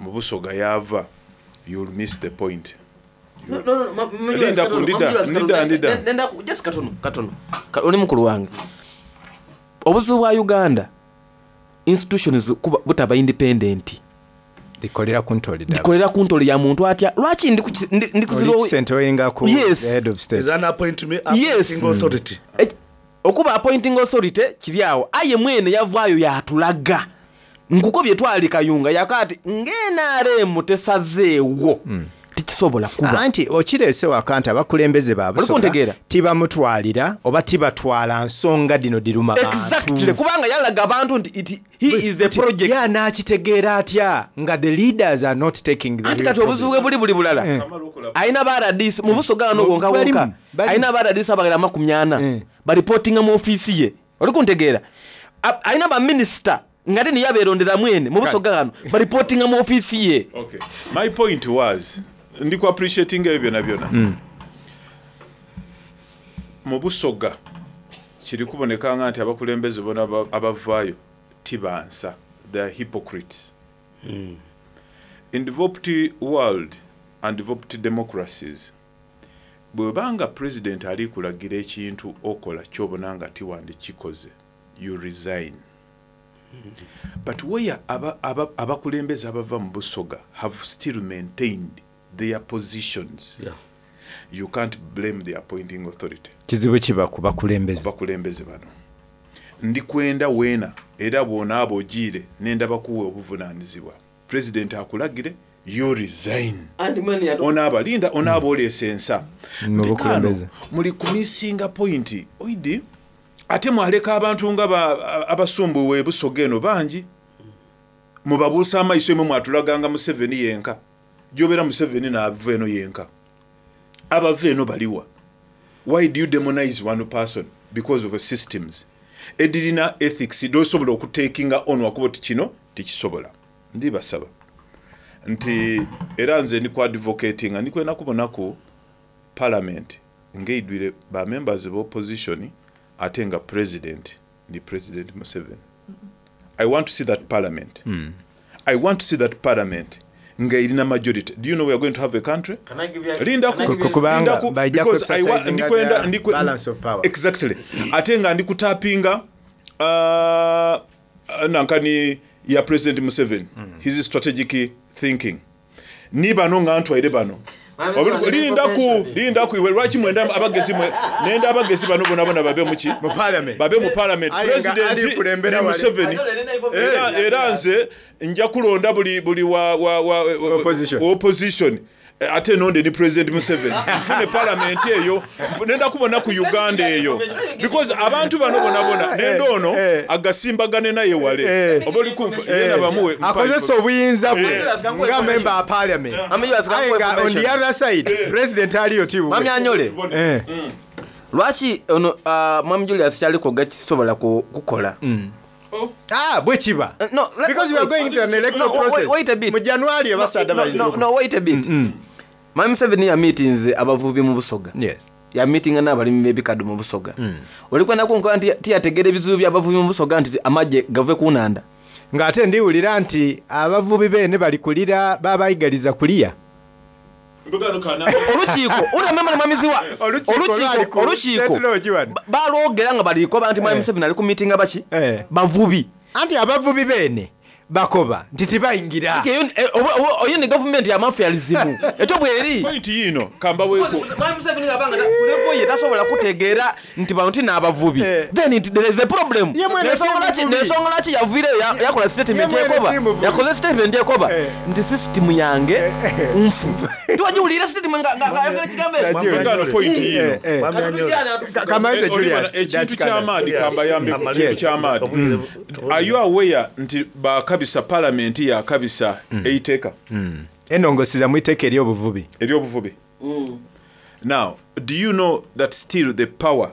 mu Busoga yaava, you'll miss the point. Linda ku, ndida, ndida, ndida. Just katono katono. Ka- oli mukulu wange, obuzibu bwa Uganda institutions kuba butaba independent. Likolera ku ntoli ddala. Likolera ku ntoli ya muntu atya? Lwaki ndi kuki- ndi- ndi kuzira Oli kisente olinga ku Yes. the head of state. Is an appointment, Yes. appointing authority. Eh, okuba appointing authority kiri awo, aye mwene yavaayo yatulaga nkuko bye twali Kayunga yaka ati ng'N R M tesazeewo, Tikisobola kuba. Anti okireese waka nti abakulembeze ba Busoga kuntegeera? tibamutwalira oba tibatwala nsonga dino diruma bantu. Exactly, kubanga yalaga abantu nti it, he is the project. Ye anaakitegeera atya nga the leaders are not taking the Anti real kati obuzibu bwe buli buli bulala. Eh. Alina ba R D C mu Busoga wano wonka Balimu, wonka. balimu. Alina ba R D C abagala amakumi ana Eh. baripootinga mu ofiisi ye. Oli kuntegeera? A- Alina ba minisita nga te niye abeerondera mwene mu Busoga wano baripootinga mu ofiisi ye. Okay. My point was, ndi ku appreciating ebyo byona byona. Mu Busoga kiri kuboneka nga nti abakulembeze bona aba- abavaayo tibansa. They are hypocrites. In developed world and developed democracies, bw'obanga president ali kulagira ekintu okola ky'obona nga tiwandikikoze, you resign. But where aba- aba- abakulembeze abava mu Busoga have still maintained their positions, Yeah. you can't blame the appointing authority. Kizibu kiba ku bakulembeze. Bakulembeze bano ndikwenda weena era bw'onaaba ogiire nenda bakuwa obuvunaanyizibwa, president akulagire, you resign. Onaaba linda onaaba oleesa ensa. Mu Mpekaano, bukulembeze. muli kumisinga point oidi ate mwaleka abantu nga ba- abasumbuwe Busoga eno bangi mubabuusa amaiso. Emwe mwatulaganga Museveni yenka, gyobeera Museveni naava eno yenka, abava eno baliwa? Why do you demonize one person because of systems edirina ethics dosobola okutakinga on wakuba oti kino tikisobola? Ndibasaba nti era nze ndi ku advocatinga ndikwenda kubonaku parliament ng'eidwire ba members of opposition ate nga president ndi President Museveni. I want to see that parliament. Mm. I want to see that parliament nga erina majority. Do you know we are going to have a country? Can I give you a- Lindaku, can I give you a- Kubanga lindaku, bajja because I wa- ku-exercisinga ndikwenda- their ndikwe- balance of power. Exactly. Ate nga ndikutapinga uh, nankani ya President Museveni, his strategic thinking ni bano nga ntwaire bano. Mwami Obuli- Museveni, lindaku information. Lindaku iwe, lwaki mwenda abagezi mwe nenda abagezi bano bona bona babe muki mu parliament, babe mu parliament. Aye nga President ali kulembera ni wali. Museveni. Era, era nze nja kulonda buli buli wa, wa, wa, wa Opposition. wa opposition. Eh, ate nonde ni President Museveni, nfune parliament eyo. Nfu- nenda kubona ku Uganda eyo because abantu bano bona bona nenda ono agasimbagane naye wale oba oli kunfa yena bamuwe akozesa obuyinza bwe Eh. nga member wa parliament. Mwami Julius, Aye nga on the information. other side president aliyo ti Mwami Anyole. Eh. Lwaki ono ah, Mwami Julius kyaliko gakisobola ku- kukola? Ah, bwe kiba No, let- because we are going to an electoral No, wait- process wait a bit. mu January abasaadda No, bayinza no, no, wait a bit. Mwami Museveni yamiitinze abavubi mu Busoga. Yes. Yamiitinga n'abalimi b'ebikaddo mu Busoga. Oli kwenda kunkola nti tiyategeera ebizibu by'abavubi mu Busoga nti amagye gave ku nnanda. Ng'ate ndiwulira nti abavubi beene bali kulira babayigaliza kuliya. Olukiiko ulamemana mwamiziwa Olukiiko lwali ku olukiiko State Lodge wano. ba- balwogera nga balikoba nti Mwami Eh. Museveni ali ku miitinga baki bavubi. Anti abavubi beene bakoba nti tibayingira. Nti eyo eh, oba- oba- oyo ne gavumenti yamafializimu ekyo bweri. Point yino kambaweeko. Mwami Museveni abanga kulevo ye tasobola kutegeera nti bano ti n'abavubi, then it, there is a problem. Ye mwene N'ensonga ti lwaki- muvubi. N'ensonga lwaki yaviireyo ya- yakola statement Ye mwene ekoba ti muvubi. yakoze statement ekoba nti system yange nfu. Tiwagiwulira statement nga- nga- ng'ayogera ekigambo ekyo? Mpekano point yino. Kamaize Eh, Oliver, Julius, ekintu dakika ky'amaadi ndala. kambayambe ku kintu ky'amaadi. Are you aware nti bakabisa parliament yakabisa eiteeka Enongosiza mu iteeka ery'obuvubi. Ery'obuvubi. Now, do you know that still the power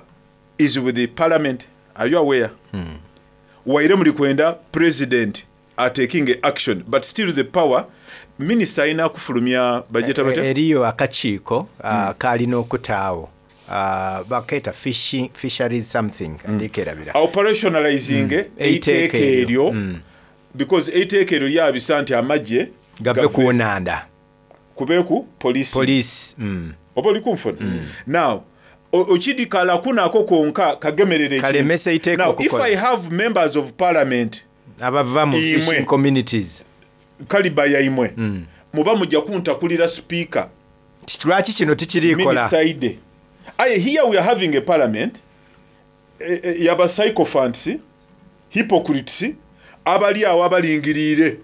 is with the parliament? Are you aware? Waire muli kwenda president ataking action, but still the power minister alina kufulumya bajeta batya? Eriyo akakiiko ah, kalina okutaawo. Ah, bakeeta fishing- fisheries something, ndikerabira. Operationalizing Mm. eiteeka eryo because eiteeka eryo lyabisa nti amagye gave ku nnanda kubeeku police police mm. Oba oli kunfuna now o- okidikala kunako konka kagemerere ekintu. Kalemesa eiteeka Now, if okukola. I have members of parliament abava mu Imwe. fishing communities kaliba yaimwe muba mujja kuntakulira speaker. Lwaki kino tikirikola? Minister ide. Aye, here we are having a parliament eh, eh, yaba sycophants, hypocrites, abali awo abalingiriire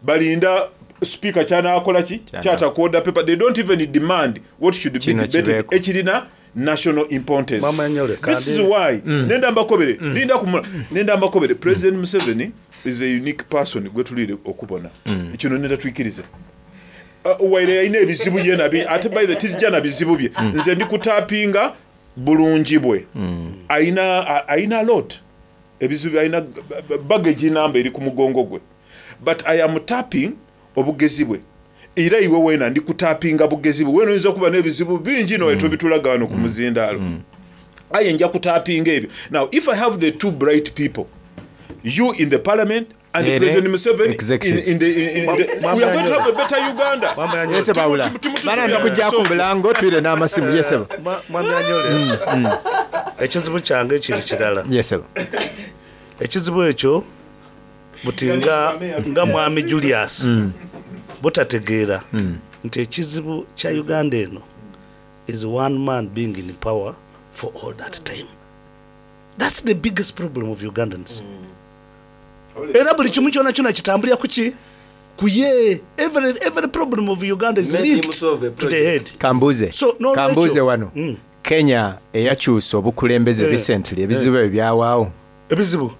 balinda Speaker kyanakola ki kyata ku order paper. They don't even demand what should be Kino debated kibeeko. Ekirina national importance. Mama Nyole, This is kandi- why nenda mbakobere, linda kumula, nenda mbakobere, President Museveni is a unique person gwe tulire okubona. Kino nenda twikirize. Uh, waire yalina ebizibu ye nabi ate by the tijja na bizibu bye, nze ndi kutapinga bulungi bwe. Ayina a- ayina lot ebizibu, ayina baggage namba eri ku mugongo gwe, but I am tapping obugezi bwe. Era iwe wena ndi kutapinga bugezi bwe. Wena oyinza okuba n'ebizibu bingi no tobitulaga wano ku muzindaalo, aye nja kutapinga ebyo. Now if I have the two bright people, you in the parliament and Ere President Museveni in, executive. in the, in, in the, we are going to have a better Uganda. Yese bawula bana ndikujja ku bulango twire n'amasimu yesebo. Mwa- mwami Anyole, ekizibu kyange kiri kirala. Yesebo. Ekizibu ekyo buti nga, nga mwami Julius Mm. butategeera nti ekizibu kya Uganda eno is one man being in power for all that time. That's the biggest problem of Ugandans. Era buli kimu kyona kyona kitambulira kuki kuye. every, every problem of Uganda is Let him linked solve a to the head. Kambuze. So, n'olwekyo- Kambuze wano. Mm. Kenya eyakyusa obukulembeze Eh. recently, ebizibu ebyo byawaawo. Ebizibu,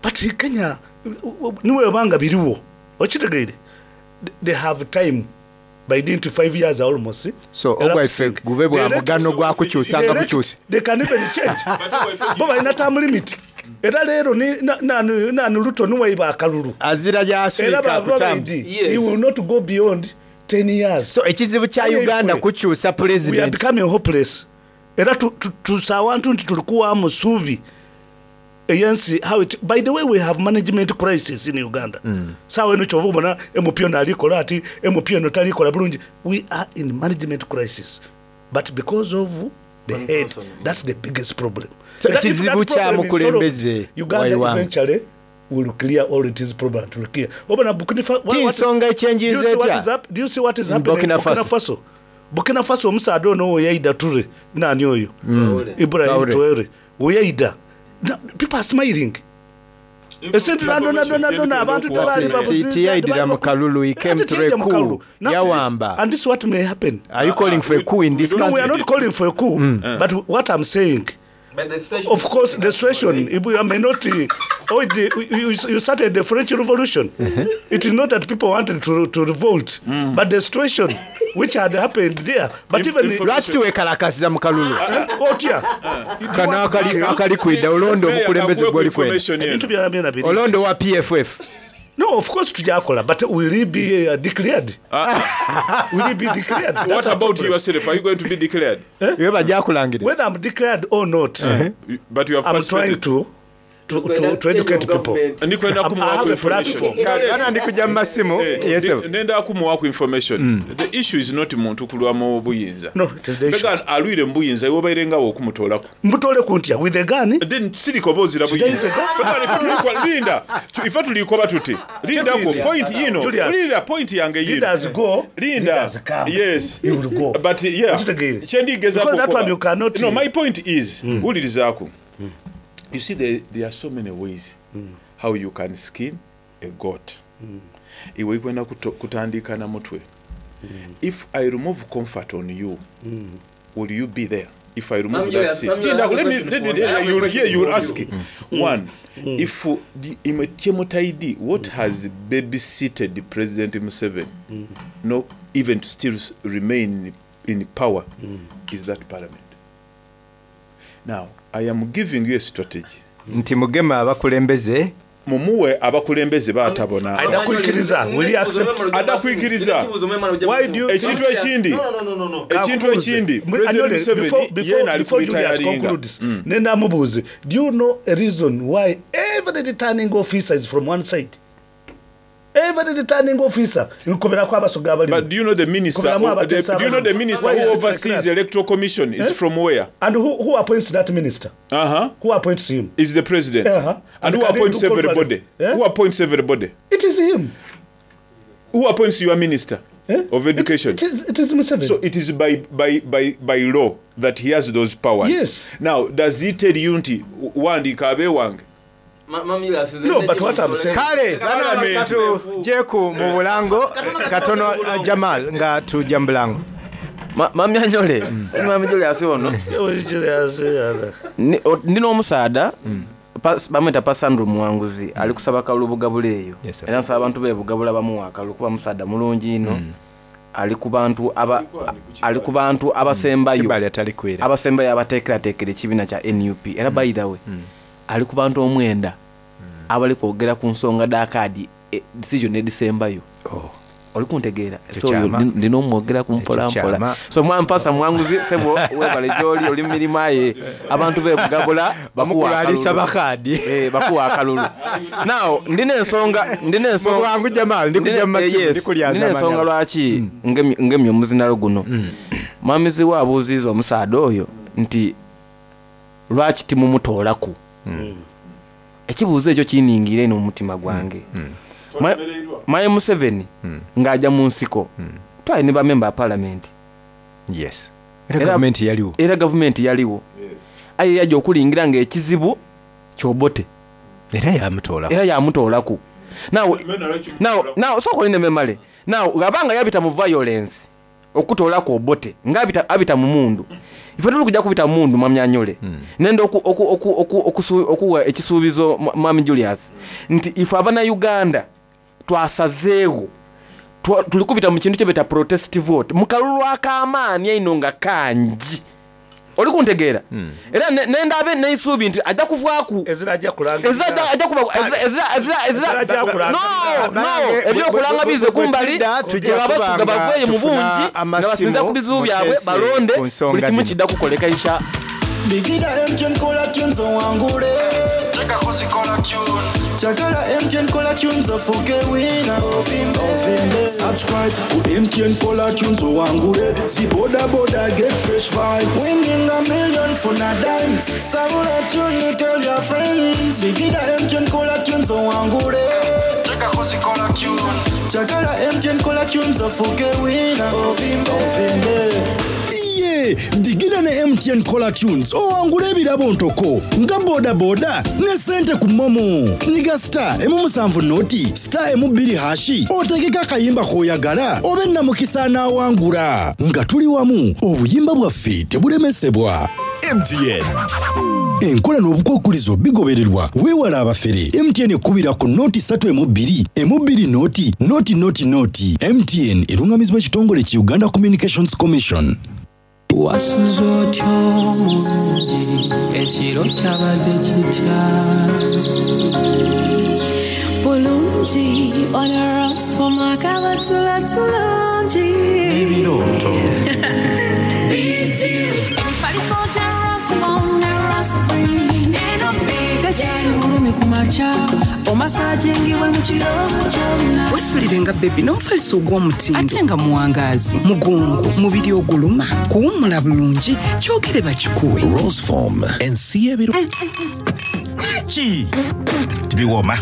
but Kenya niwebanga biriwo, okitegeire, they have time by dint five years almost. So ogwaife gube bwa mugano gwa kukyusanga bukyusi. They can even change. Bo balina term limit. Era leero ni- na- nani nani Ruto niwaiba akalulu azira era gyaswika baba ku terms. baidi he will not go beyond ten years. So ekizibu kya Uganda kukyusa We are president. becoming hopeless. Era tu- tu- tusa awantu nti tuli kuwaamu suubi eyensi. How it, by the way, we have management crisis in Uganda. Mm. Saawa eno kyova obona M P ono alikola ati M P ono talikola bulungi. We are in management crisis, but because of the head, that's the biggest problem. So Era if ekizibu that problem kya is mukulembeze solved, Uganda waiwanga. eventually will clear all its problems, will clear. Obona Burkina Fa- Ti what- nsonga ekyenjiza Do you see what etya? is hap- do you see what is In happening Burkina in Burkina Faso. Faso? Burkina Faso omusaadha ono weyaida Ture, nani oyo? Mm. Ibrahim Traore. Traore weyaida. Now, people are smiling. Esente dona dona dona abantu tebaali babuziza. Tiyayidira mu kalulu, he came through a coup. Yawamba. And this is what may happen. Are you calling for a coup in this No, we are country? not calling for a coup, Mm. but what I'm saying, But the situation of course, the situation, if we may not, uh, oh, the, you, you started the French Revolution. It is not that people wanted to, to revolt, but the situation which had happened there. But even Lwaki tuwekalakasiza mu kalulu? Otya? Kano akali akali kwidda olonda omukulembeze gw'oli kwenda. Ebintu byona byona biri. Olonda owa P F F. No, of course tujakola, but will he be uh, declared? Will he be declared? That's What our about problem. yourself? Are you going to be declared? Iwe bajja kulangira. Whether I'm declared or not, But you have I'm trying participated. to to, to, to educate people. Ndikwenda I'm- I kumuwaku have a information. platform. Bana ndikujja mu masimu. Eh, Yes, ndi- sir. nenda kumuwaku information. The issue is not muntu kulwa mu buyinza. No, it is the issue. Mbega alwire mu buyinza iwe obaire nga okumutoolako. Mbutole kuntya with a gun. Then sirika oba ozira buyinza. Mbega ife tulikwa- linda ife tulikoba tuti lindako point yino. Julius. Linda point yange yino. Leaders go, linda leaders come. Yes. You will go. But yeah, Okitegeere. kyendigezaako Because that okukoba- one you cannot- No, my point is, wulirizaako, you see, there, there are so many ways how you can skin a goat. Iwe ikwenda kuto- kutandika na mutwe. If I remove comfort on you, will you be there if I remove Ma'am, that you seat? are- ma'am, you Linda, have a let me, question let me, for me. I have a you will question hear, you will for ask. you. One, if uh, the Imetiemutaidi, what has babysitted President Museveni, no, even to still s- remain in power, is that parliament. Now, I am giving you a strategy. Nti mugema abakulembeze. Mumuwe abakulembeze baatabona. Adda kuikiriza. Will he accept? Adda kuikiriza. Why do you Ekintu ekindi. No, no, no, no, no. Ekintu ekindi. President Anyole, Museveni before, before, yena ali before Julius kuretiringa. concludes, nenda mubuuze, do you know a reason why every returning officer is from one side? Every returning officer, nkoberako abasoga abalimu. But do you know the minister? Koberamu Who, the, abateesa do you know the abalimu. minister Why who is it like oversees that? electoral commission is Eh? from where? And who, who appoints that minister? Uh huh. Who appoints him? Is the president. Uh-huh. And And who can he appoints do contrary? everybody? Eh? Who appoints everybody? It is him. Who appoints your minister Eh? of education? It, it is, it is Museveni. So it is by, by, by, by law that he has those powers. Yes. Now, does he tell you nti wandiika abeewange? No, but what I'm saying- Kale bana katujeku mu bulango katono Jamal nga tujja mu bulango. Mami Anyole, Mami Julius ono. Ni- o- Ndina omusaada Pas- bamweta Pasandro Muwanguzi ali kusaba kalulu Bugabula eyo era nsaba abantu be Bugabula bamuwa akalulu kuba musaada mulungi ino ali ku bantu aba ali ku bantu abasembayo Kibali atali kwera. abasembayo abateekerateekera ekibiina kya N U P era by the way ali ku bantu omwenda abali kwogera ku nsonga dha kaadi eh, decision edisembayo oli kuntegeera. Ekyo So oyo kyama. ndi- ndina omwogera ku mpola Ekyo mpola. kyama. So mwampasa Mwanguzi sebo webale gyoli oli mu mirimu aye abantu bebugabula Mukulu alisaba kaadi. Eh, bakuwa akalulu. Now ndina ensonga ndina ensonga Mubwangu Jamal, ndi kujja mu Ndina- eh, masimu, yes, ndi kulyaza ndina ensonga amanya. lwaki ngemye- ngemye omuzinalo guno. Mwamizi we abuuziza omusaada oyo nti lwaki timumutoolaku. Ekibuuzo ekyo kiningira eno mu mutima gwange. Ma- Maye Museveni ng'ajja mu nsiko twali ne bamemba ba palamenti. Yes. Era gavumenti yaliwo. Era gavumenti yaliwo aye yajja okulingira ng'ekizibu kyobote era yamutoolaku. Era yamutoolaku. Now now now sooka olinde memale. Now abanga yabita mu violence okutoolaku Obote nga abita, abita mu mundu ife tuli kujja kubita mu mundu mwamyanyole nenda oku- oku- oku- oku- okusu- okuwa ekisuubizo mwa- mwami Julius nti ife abannayuganda twasazeewo Twa- tuli kubita mu kintu kyebeta protest vote mu kalulu ak'amaanyi eino nga kangi oli kuntegeera era ne- nenda abe neisuubi nti ajja kuvaaku Ezira ajja kulangirira. Ezira ajja- ajja kuba ezira- ezira- ezira- ezira- Ezira ajja kulangirira. No, no, ebyokulanga bize kumbali abasuga baveeyo mu bungi nga basinza ku bizibu byabwe balonde buli kimu kidda kukoleka isha. Bigida M T N kola tunes owangule. Chagala M T N kola tunes ofuke wina. Ovimbe. Subscribe ku M T N kola tunes owangule. Si boda boda get fresh vibes. Winning a million funa dimes. Sabula tune tell your friends. Bigida M T N kola tunes owangule. Chagala M T N kola tunes ofuke wina. Ovimbe. Ovimbe. Iye digida ne M T N Caller Tunes owangula ebirabo ntoko nga bodaboda ne sente ku momo. Nyiga star emu musanvu noti star emu bbiri hash otegeke akayimba k'oyagala obe namukisa anaawangula nga tuli wamu obuyimba bwaffe tebulemesebwa. M T N enkola n'obukwakulizo bigobererwa weewala abafere. M T N ekkubira ku noti ssatu emu bbiri emu bbiri noti noti noti noti. M T N erungamizibwa ekitongole ki Uganda Communications Commission. Wasuze otya omulungi ekiro kyabadde kitya? Bulungi onorosoma kabatula tulungi. Ebirooto. Emifaliso gya Rosmom ne Rospring eno big. Tekyali bulumi ku makya omasajingibwe mu kiro kyonna. Wesulire nga bebi n'omufaliso ogw'omutindo ate nga muwangaazi mugongo mubiri oguluma kuwummula bulungi kyogere bakikuwe. Roseform ensi y'ebiro ki tibiwooma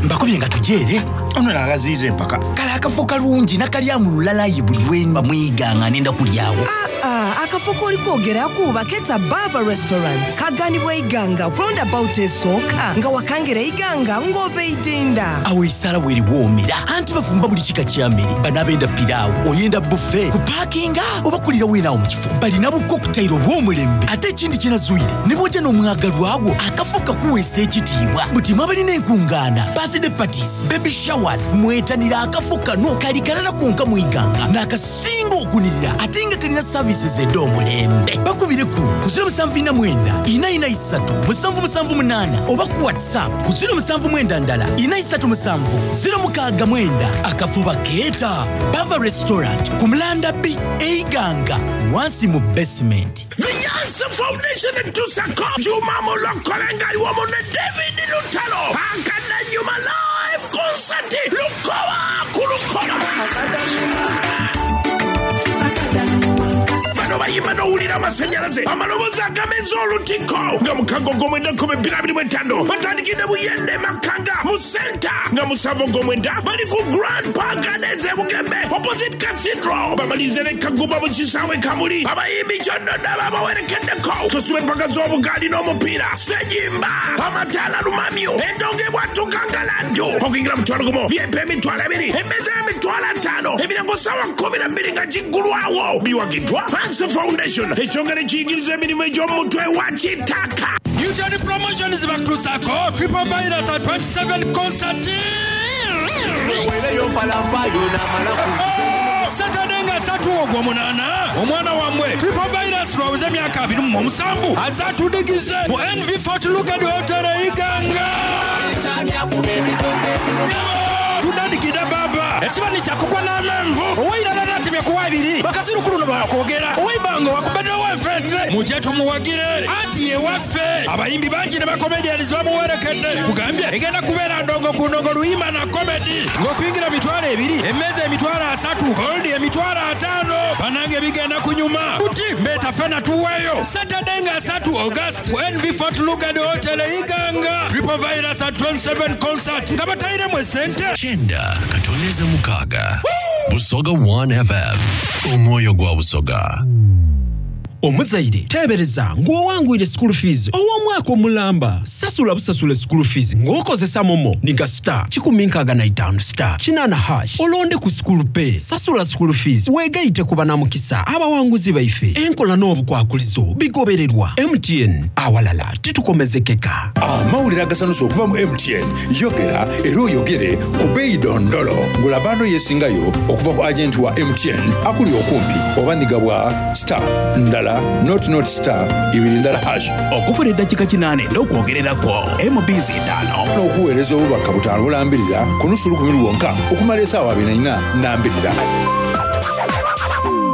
mbakubye nga tujeere ono nagaziiza empaka kale akafo kalungi nakalyamu lulalayi buli lwemba mwiga nga nenda kulyawo. Ah, akafo k'oli kwogeraku baketa Bava Restaurant kaganibwa Iganga roundabout esooka nga wakangera Iganga ng'ova Eidinda. Awo esala weeriwoomera anti bafumba buli kika kya mmere banaabenda piraawo oyenda bufe kupaakinga oba kulira weenaawo mu kifo balina bukokutayiro obw'omulembe ate ekindi kyenazuire ne bw'ojja n'omwagalwawo akafo kakuweesa ekitiibwa buti mwe abalina enkungaana birthday parties baby showers mwetanira akafo kano kali kalala konka mwiganga n'akasinga okunirira ate nga kalina services ed'omulembe bakubire ku ku zero musanvu ina mwenda ina ina isatu musanvu musanvu munaana oba ku WhatsApp ku zero musanvu mwenda ndala ina isatu musanvu zero mukaaga mwenda. Akafo bakeeta Bava Restaurant ku Mulanda B Eiganga wansi mu basement. The Yansa Foundation etusako Juma Mulokolenga iwamu ne David Lutalo Akadanyuma live concert Lukoba ku Lukoba. Bano bayimbi. Bayimba n'owulira amasanyalaze, amaloboozi agameza olutiko nga mukago ogw'omwenda nkumi bbiri abiri mu etaano batandikidde Buyende Makanga mu senta, nga musanvu ogw'omwenda bali ku Grand Park Gardens e Bugembe opposite Cathedral, bamalirize ne Kagumba mu kisaawe Kamuli. Abayimbi kyonna babawerekeddeko, tusube empaka z'obugaali n'omupiira, sejimba amataala lumamyo endongo ebwatuka ngaladdu. Okuyingira mutwalo gumu, V I P emitwalo ebiri, emmeeza y'emitwalo ataano, emiryango ssaawa kkumi na bbiri nga giggulwawo. Biwagiddwa Hanse Foundation, ekyongera ekiyigiriza emirimu egy'omutwe wa kitaka. Newton Promotions bakutuusako Triple Virus at twenty-seven concert. Saturday nga ssatu ogw'omunaana, omwana wammwe Triple Virus lwaweze emyaka abiri mu omusanvu azatudigize mu N V Fort Lugard Hotel e Iganga. Tutandikidde baba ekibani kyakukwa n'amenvu owairala natemye kuwa ebiri bakasirukulu no bakwogera owaibanga wakubaddewo enfete mujje tumuwagire anti yewaffe. Abayimbi bangi ne bacomedians bamuwerekedde, kugambye egenda kubeera ndongo ku ndongo, luyimba na comedy, ng'okuyingira mitwalo ebiri, emmeeza emitwalo asatu, gold emitwalo ataano. Banange bigenda kunyuma buti mbeeta fena tuweeyo Saturday nga asatu August ku N V Fort Lugard Hotel e Iganga, Triple Virus at twenty-seven concert nga batayiremu esente. Kyenda katoneza mukaga Busoga one F M, omwoyo gwa Busoga. Omuzaire teebereza ng'owangwire school fees ow'omwaka omulamba. Sasula busasula school fees ng'okozesa momo niga star kikumi nkaaga na itaano star kinaana hash, olonde ku school pay, sasula school fees weegayite ku banamukisa abawanguzi baife. Enkola n'obukwakulizo bigobererwa. M T N, awalala titukomezekeka. Amawulire agasanusa okuva mu M T N. Yogera era oyogere ku beeyi dondolo. Gula bundle yeesingayo okuva ku agenti wa M T N akuli okumpi oba niga bwa star ndala nought nought star ibiri ndala hash. Okufuna eddakiika kinaana n'okwogererako M Bs etaano n'okuweereza obubaka butaano bulambirira ku nusu lukumi lwonka okumala essaawa abiri na nnya nambirira.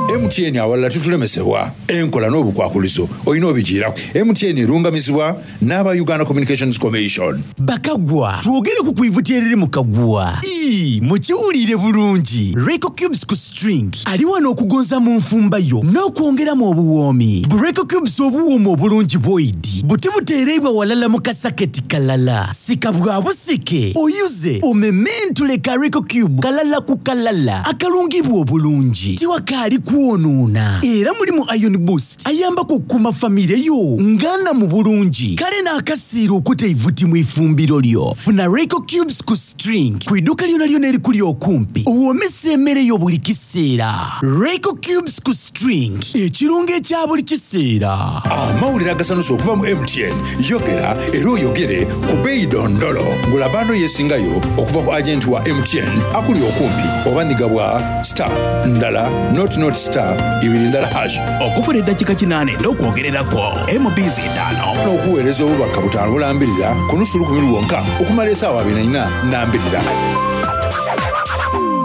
M T N, awalala tutulemesebwa. Enkola n'obukwakulizo olina obigiirako. M T N erungamizibwa n'aba Uganda Communications Commission. Bakagwa, twogere ku kwivuti eriri mu kagwa. Ii, mukiwulire bulungi, Reco Cubes ku string ali wano okugonza mu nfumba yo n'okwongeramu obuwoomi. Bu Reco Cubes obuwooma obulungi bwoidi buti buteereibwa walala mu kasaketi kalala, sika bwa busike oyuze omementule ka Reco Cube kalala ku kalala akalungibwa obulungi, tiwakaali kwonoona, era mulimu iron boost ayambako okukuuma famire yo ngana mu bulungi, kale n'akasiira okuta eivuti mu ifumbiro lyo. Funa Reco Cubes ku string ku idduuka lyona lyona erikuli okumpi, owoomesa emmere yo buli kiseera. Reco Cubes ku string, ekirungo ekya buli kiseera. Amawulire agasanusa okuva mu M T N. Yogera era oyogere ku beeyi dondolo. Gula bundle yeesingayo okuva ku agenti wa M T N akuli okumpi oba niga bwa star ndala nought nought star ibiri ndala hash. Okufuna eddakiika kinaana n'okwogererako M Bs etaano n'okuweereza obubaka butaano bulambirira ku nusu lukumi lwonka okumala essaawa abiri na nnya nambirira.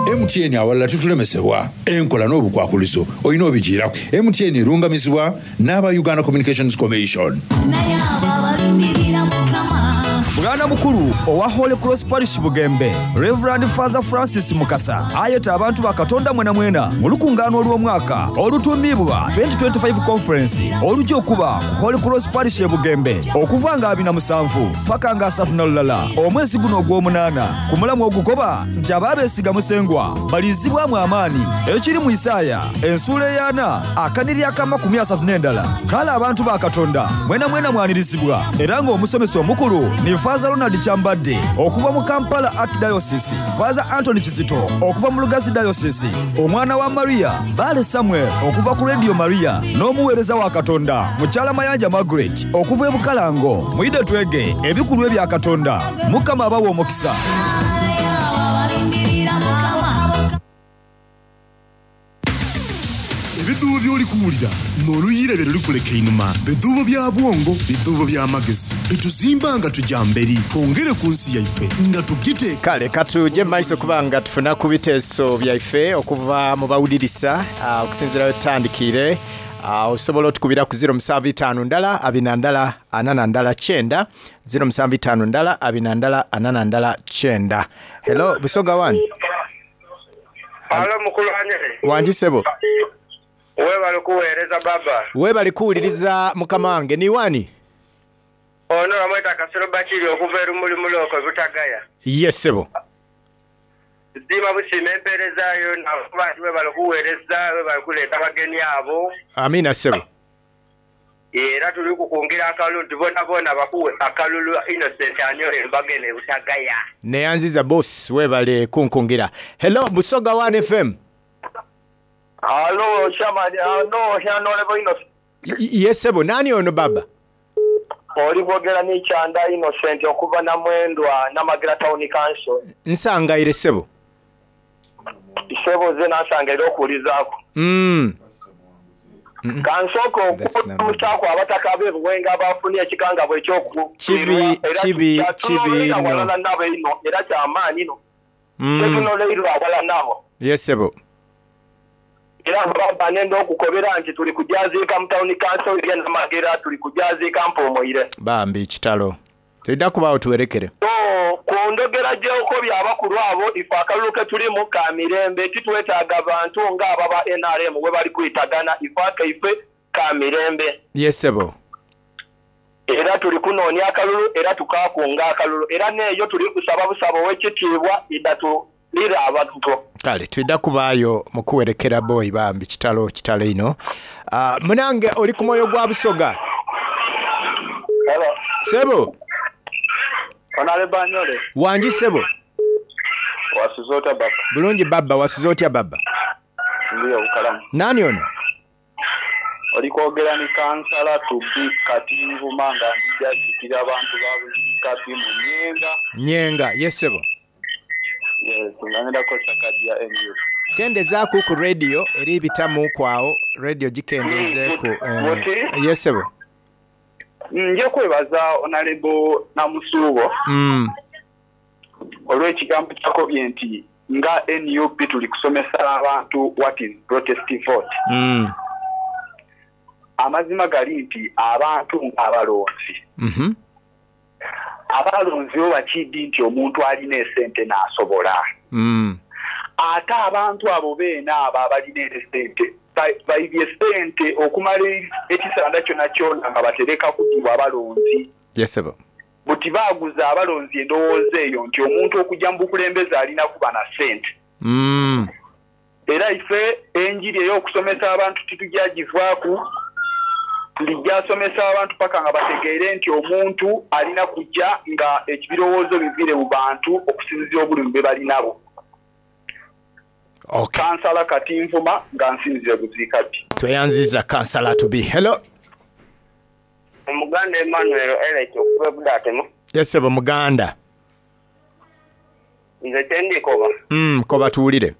M T N, awalala tutulemesebwa. Enkola n'obukwakulizo olina obigiirako. M T N erungamizibwa n'aba Uganda Communications Commission. Naye abo abalindirira Mukama. Bwana mukulu owa Holy Cross Parish Bugembe, Reverend Father Francis Mukasa, ayeta abantu ba Katonda mwena mwena mu lukungaano olw'omwaka olutuumibwa twenty twenty-five Conference olujja okuba ku Holy Cross Parish e Bugembe okuva nga abiri na musanvu paka nga asatu na lulala omwezi guno ogw'omunaana, ku mulamu ogukoba nti abaabeesiga Musengwa balizibwamu amaanyi, ekiri mu Isaaya ensuula ey'ana akaniri ak'amakumi asatu n'endala. Kale abantu ba Katonda mwena mwena mwanirizibwa, era ng'omusomesa omukulu ni Father Ronald Kyambadde okuva mu Kampala Archdiocese, Father Anthony Kizito okuva mu Lugazi Diocese, omwana wa Maria Bale Samuel okuva ku Radio Maria, n'omuweereza wa Katonda mukyala Mayanja Margaret okuva e Bukalango. Muyide twege ebikulu ebya Katonda. Mukama abawa omukisa. Abalindirira Mukama. Ebiduubo by'oli kuwulira n'oluyiira bye lulikuleka einuma, biduubo bya bwongo, biduubo by'amagezi bituzimba nga tujja mberi, twongere ku nsi yaife nga tugiteeka. Kale katuje mumaiso kuba nga tufuna ku biteeso byaife okuva mu bawulirisa. ah, okusinziira wetutandikire, ah, osobola otukubira ku zero musanvu itaano ndala abina ndala ana ndala kyenda, zero musanvu itaano ndala abina ndala ana ndala kyenda. Hello, Busoga one. Alo, mukulu Anyere. Wangi sebo. Webale kuweereza baba. Webale kuwuliriza mukama wange niwani? Ono bamweta Kasolo Bakiri okuva erumuli muloko Butagaya. Yes sebo. Nsiima busiima empeerezaayo nakuba nti webale kuweereza, webale kuleeta abagenyi abo. Amina sebo. Era tuli kukungira akalulu nti bona bona bakuwe akalulu Innocent Anyole mbagene Butagaya. Neyanziza boss webale kunkungira. Hello Busoga one F M. Hello Shamani, no Honorable Innocent. Yes sebo, nani ono baba? Oli kwogera ni Chanda Innocent okuva na Mwendwa Namagira Town Council. Nsangaire sebo. Sebo ze nasangaire okulizaako. Mm. Kansoko okumusako abataka be buwenga bafunye ekikanga bwe kyoku. Kibi kibi kibi no. Nabo ino era kyamaanyi no. Mm. Tetunoleirwa wala nabo. Yes sebo. Era baba nendo okukobera nti tuli kujaziika mu town council ya Namagira tuli kujaziika mpomoire. Bambi kitalo. Tulida kubaawo tuwerekere. So ku ndogera gy'okobya abakulu abo ife akalulu ke tulimu ka mirembe titwetaaga bantu ng'ababa N R M we bali kuyitagana ife akaife ka mirembe. Yes sebo. Era tuli kunoonya akalulu era tukakunga akalulu era neeyo tuli kusaba busaba ow'ekitiibwa idatu lira abantu. Kale tulida kubaayo mu kuwerekera boy bambi kitalo kitalo ino. Uh, munange oli ku mwoyo gwa Busoga. Hello. Sebo. Honorable Anyole. Wangi sebo. Wasuzota baba. Bulungi baba, wasuzotya baba. Ndiyo ukalamu. Nani ono? Oli kwogera ni kansala tubi Katinvuma nga ndija kikira abantu ba Kati mu Nyenga. Nyenga, yes sebo. Yes, ngenda kosa kadi ya N U P. Kendezaako ku radio eri bitamu kwawo, radio gikendezeeko. Eh, yes sebo. Nje kwebaza Honorable Namusuubo. Mm. Olw'ekigambo kyakobye nti nga N U P tuli kusomesa abantu what is protest vote. Mm. Amazima gali nti abantu abalonzi. Mhm. Mm abalonzi bo bakidi nti omuntu alina esente n'asobola. Mm. Ate abantu abo beena abo abalina esente baibye sente okumala ekisanda kyonna kyonna nga batereka kugibwa abalonzi. Yes sebo. Buti baaguza abalonzi endowooza eyo nti omuntu okujja mu bukulembeze alina kuba na ssente. Mm. Era ife enjiri ey'okusomesa abantu titujagivaaku, tulijasomesa abantu paka nga bategeere nti omuntu alina kujja nga ekibirowoozo bivire mu bantu okusinziira obulumi bwe balinabo. Okay. Kansala Katinvuma nga nsinzire Buziikati. Tweyanziza kansala to be. Hello. Omuganda Emmanuel Elect okuva Budatemu. Yes sebo muganda. Nze kyendikoba. Mm, koba tuwulire.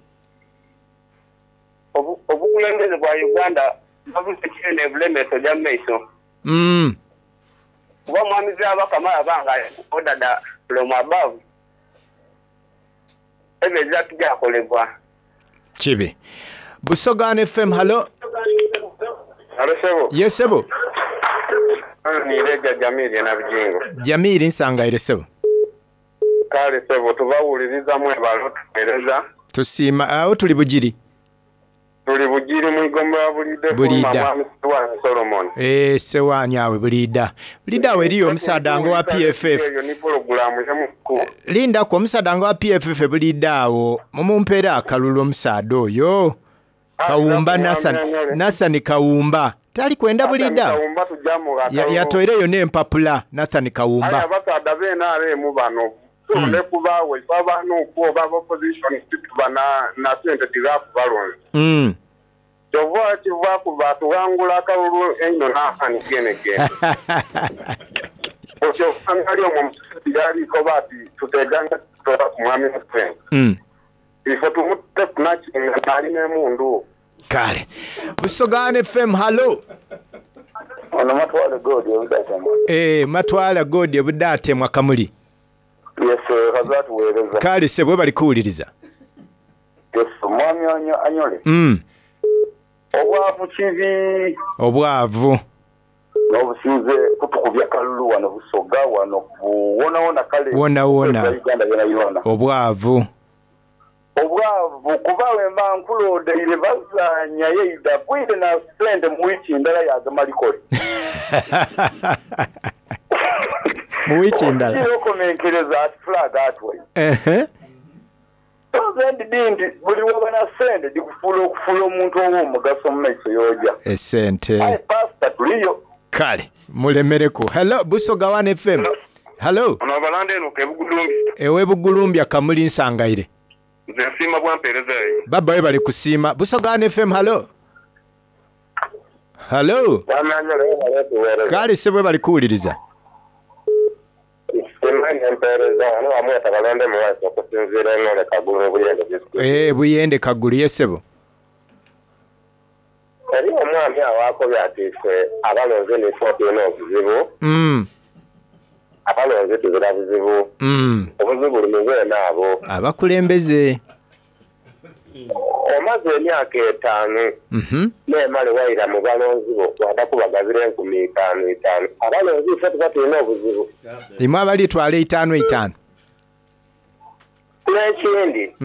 Obu obukulembeze bwa Uganda bavuze kinene bulemeso gya maiso. Mm. Kuba mwami Byabakama yabanga order da from above. Ebyo tujakolebwa. Kibi. Busoga F M, hello. Hello sebo. Yes sebo. Ni Reja Jamiri na Bijingo. Jamiri nsangaire sebo. Kale sebo tubawuliriza mwebalo tuwereza. Tusiima awo tuli Bugiri. Tuli Bugiri mwigomba bulidde Bulida. Solomon. Eh sewanya awe Bulida. Bulida awe eriyo omusaada ngo wa P F F. Linda ko omusaada ngo wa P F F Bulida awo mumumpeera akalulu omusaada oyo. Kawumba Nathan Nathan Kawumba. Tali kwenda Bulida. Yatoireyo n'empapula Nathan Kawumba. Aya abasaada b'N R M bano. Tule kubaawe baba n'okuba opposition tuba na na sente tizakubalonzi. Mm. Kyova kiva ku batuwangula akalulu eno n'akani gene gene. Otyo angali omwo musisi yaliko bati tuteganga tutola ku mwami Museveni. Mm. Ifo tumute kunakinga n'alina emundu. Kale. Busoga F M, hello. Ono Matwala Godi Obudatemwa. Eh, Matwala Godi Obudatemwa Kamuli. Yes, kazatuweereza. Kale sebo bali kuwuliriza. Yes, mwami Anyole. Mm. Obwavu kibi. Obwavu. N'obusinze kutukubya kalulu wano Busoga wano wona wona kale. Wona wona. Uganda yona yona. Obwavu. Obwavu baavu kuba wemba nkulondeire bazaanya yeida bwire na sente mu wiiki ndala yagamalikole mu wiiki ndala okomenkereza ati flag atwai Ehe. nze ndidi nti buli woba na sente dikufuula okufuula omuntu ow'omugaso mu maiso yoja esente aye pasita tuliyo kale mulemereku hello busoga one fm hello ono abalanda eno kebugulumbi ewe bugulumbya kamuli nsangaire nze nsiima bwampeereza eyo baba we bali kusiima busoga one fm hello hello kale se bwe bali kuwuliriza Simanyi empeereza wano wamweta balonde muwaiso okusinziira eng'ole kagulu mu Buyende district. Eh, buyende kagulu yesebo Eri omwami awo akobye ati ffe abalonzi nife tulina obuzibu, mm, abalonzi tuzira buzibu, mm. obuzibu buli mu beene abo. abakulembeze Omaze emyaka etaano Mhm. neemale wayira mu balonzi bo wada kubagabira enkumi itaano itaano. Abalonzi ffe tuba tulina obuzibu. imwe abalitwala etaano etaano N'ekindi